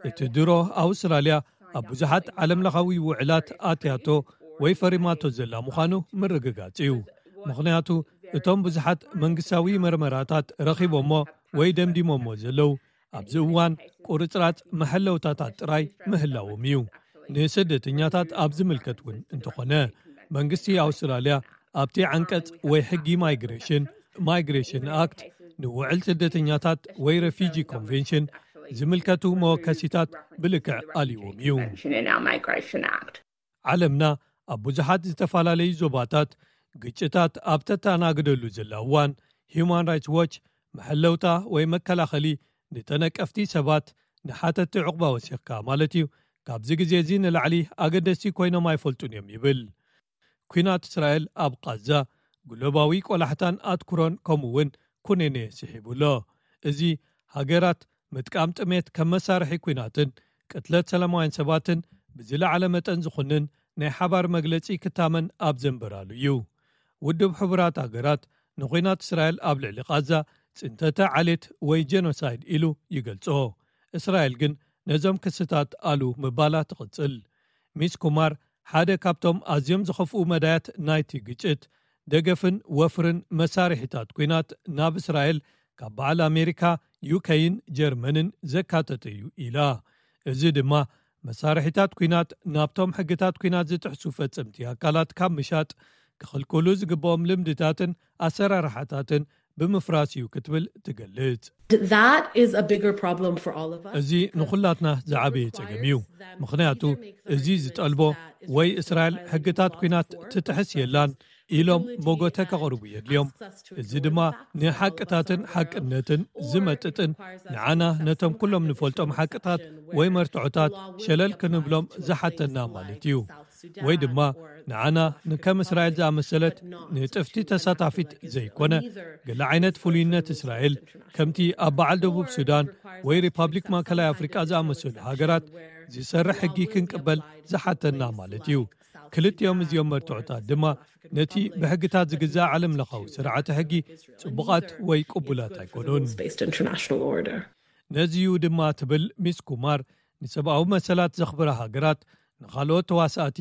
እቲ ድሮ ኣውስትራልያ ኣብ ብዙሓት ዓለምለኻዊ ውዕላት ኣትያቶ ወይ ፈሪማቶ ዘላ ምዃኑ ምርግጋጽ እዩ። ምኽንያቱ እቶም ብዙሓት መንግስታዊ መርመራታት ረኺቦሞ ወይ ደምዲሞሞ ዘለዉ ኣብዚ እዋን ቁርጽራጽ መሐለውታታት ጥራይ ምህላዎም እዩ። ንስደተኛታት ኣብ ዝምልከት እውን እንተኾነ መንግስቲ ኣውስትራልያ ኣብቲ ዓንቀጽ ወይ ሕጊ ማይግሬሽን ማይግሬሽን ኣክት ንውዕል ስደተኛታት ወይ ረፊጂ ኮንቬንሽን ዝምልከቱ መወከሲታት ብልክዕ ኣልዎም እዩ። in our Migration Act. ዓለምና ኣብ ብዙሓት ዝተፈላለዩ ዞባታት ግጭታት ኣብ ተተኣናግደሉ ዘላ እዋን ሂዩማን ራይትስ ዎች መሐለውታ ወይ መከላኸሊ ንተነቀፍቲ ሰባት ንሓተቲ ዕቑባ ወሲኽካ ማለት እዩ ካብዚ ግዜ እዚ ንላዕሊ ኣገደስቲ ኮይኖም ኣይፈልጡን እዮም ይብል። ኲናት እስራኤል ኣብ ቃዛ ግሎባዊ ቆላሕታን ኣትኩሮን ከምኡ እውን ኩነኔ ስሒቡ ኣሎ። እዚ ሃገራት ምጥቃም ጥሜት ከም መሳርሒ ኲናትን ቅትለት ሰላማውያን ሰባትን ብዝለዓለ መጠን ዝኹንን ናይ ሓባር መግለጺ ክታመን ኣብ ዘንበራሉ እዩ። ውድብ ሕቡራት ሃገራት ንኹናት እስራኤል ኣብ ልዕሊ ቃዛ ጽንተተ ዓሌት ወይ ጀኖሳይድ ኢሉ ይገልጾ። እስራኤል ግን ነዞም ክስታት ኣሉ ምባላ ትቕጽል። ሚስ ኩማር ሓደ ካብቶም ኣዝዮም ዝኸፍኡ መዳያት ናይቲ ግጭት ደገፍን ወፍርን መሳርሒታት ኲናት ናብ እስራኤል ካብ በዓል ኣሜሪካ፣ ዩኬይን ጀርመንን ዘካተተ እዩ ኢላ። እዚ ድማ መሳርሒታት ኲናት ናብቶም ሕግታት ኲናት ዝጥሕሱ ፈጸምቲ ኣካላት ካብ ምሻጥ ክኽልክሉ ዝግብኦም ልምድታትን ኣሰራርሓታትን ብምፍራስ እዩ ክትብል ትገልጽ። That is a bigger problem for all of us. እዚ ንኹላትና ዝዓበየ ጸገም እዩ። ምኽንያቱ እዚ ዝጠልቦ ወይ እስራኤል ሕግታት ኲናት ትጥሕስ የላን ኢሎም መጎተ ከቕርቡ የድልዮም። እዚ ድማ ንሓቅታትን ሓቅነትን ዝመጥጥን ንዓና ነቶም ኩሎም ንፈልጦም ሓቅታት ወይ መርትዖታት ሸለል ክንብሎም ዝሓተና ማለት እዩ። ወይ ድማ ንዓና ንከም እስራኤል ዝኣመሰለት ንጥፍቲ ተሳታፊት ዘይኮነ ገለ ዓይነት ፍሉይነት እስራኤል ከምቲ ኣብ በዓል ደቡብ ሱዳን ወይ ሪፓብሊክ ማእከላይ ኣፍሪቃ ዝኣመሰሉ ሃገራት ዝሰርሕ ሕጊ ክንቅበል ዝሓተና ማለት እዩ። ክልቲኦም እዚኦም መርትዖታት ድማ ነቲ ብሕግታት ዝግዛእ ዓለም ለኻዊ ስርዓተ ሕጊ ጽቡቓት ወይ ቅቡላት ኣይኮኑን። Based international order. ነዚዩ ድማ ትብል ሚስ ኩማር ንሰብኣዊ መሰላት ዘኽብራ ሃገራት ንኻልኦት ተዋሳእቲ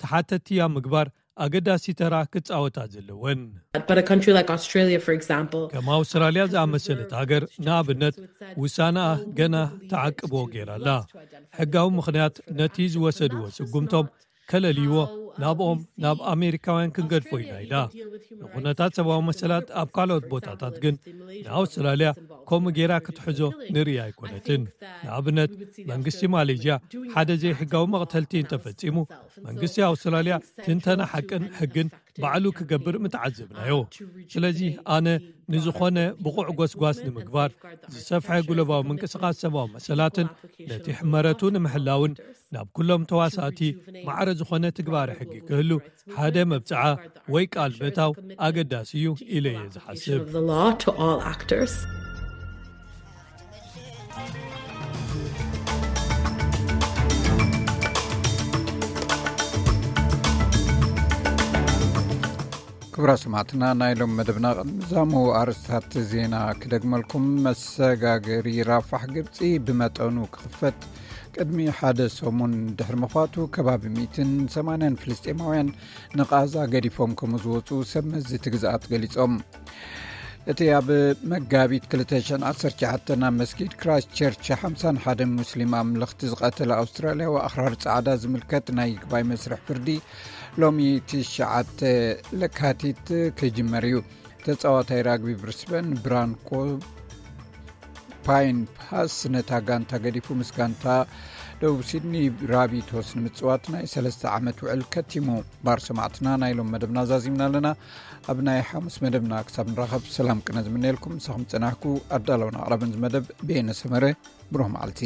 ተሓተትቲ ኣብ ምግባር ኣገዳሲ ተራ ክጻወታ ዘለወን። But a country like Australia, for example, ከም ኣውስትራልያ ዝኣመሰለት ሃገር ንኣብነት ውሳነኣ ገና ተዓቅቦ ገይራላ። ሕጋዊ ምኽንያት ነቲ ዝወሰድዎ ስጉምቶም ከለልይዎ ናብኦም ናብ ኣሜሪካውያን ክንገድፎ ኢና ኢላ። ንኹነታት ሰብኣዊ መሰላት ኣብ ካልኦት ቦታታት ግን ንኣውስትራልያ ከምኡ ገይራ ክትሕዞ ንርኢ ኣይኮነትን። ንኣብነት መንግስቲ ማሌዥያ ሓደ ዘይሕጋዊ መቕተልቲ እንተፈጺሙ መንግስቲ ኣውስትራልያ ትንተና ሓቅን ሕግን ባዕሉ ክገብር ምተዓዘብናዮ። ስለዚ ኣነ ንዝኾነ ብቑዕ ጎስጓስ ንምግባር ዝሰፍሐ ጉለባዊ ምንቅስቓስ ሰብኣዊ መሰላትን ነቲ ሕመረቱ ንምሕላውን ናብ ኩሎም ተዋሳእቲ ማዕረ ዝኾነ ትግባረ ሕጊ ክህሉ ሓደ መብጽዓ ወይ ቃል ምእታው ኣገዳሲ እዩ ኢለ እየ ዝሓስብ። Of the law to all actors. ክቡራ ሰማዕትና ናይ ሎም መደብና ቅድሚ ዛሙ ኣርስታት ዜና ክደግመልኩም። መሰጋገሪ ራፋሕ ግብፂ ብመጠኑ ክኽፈት ቅድሚ ሓደ ሰሙን ድሕሪ ምኽፋቱ ከባቢ ሚእትን ሰማንያን ፍልስጤማውያን ንቓዛ ገዲፎም ከም ዝወፁ ሰብ መዚ እቲ ግዝኣት ገሊፆም። እቲ ኣብ መጋቢት ክልተ ሽሕን ዓሰርተ ትሽዓተን ኣብ መስጊድ ክራይስት ቸርች ሓምሳን ሓደን ሙስሊም ኣምለኽቲ ዝቐተለ ኣውስትራልያዊ ኣኽራሪ ጻዕዳ ዝምልከት ናይ ይግባይ መስርሕ ፍርዲ ሎሚ ትሽዓተ ለካቲት ክጅመር እዩ። ተጻዋታይ ራግቢ ብሪስበን ብራንኮ ፓይን ፓስ ነታ ጋንታ ገዲፉ ምስ ጋንታ ደቡብ ሲድኒ ራቢቶስ ንምጽዋት ናይ ሰለስተ ዓመት ውዕል ከቲሙ። ባር ሰማዕትና ናይ ሎም መደብና ዛዚምና ኣለና። ኣብ ናይ ሓሙስ መደብና ክሳብ ንራኸብ ሰላም ቅነ ዝምነየልኩም። ምሳኹም ዝጸናሕኩ ኣዳለውን ኣቕራብን ዝመደብ ቤነ ሰመረ። ብሩህ መዓልቲ።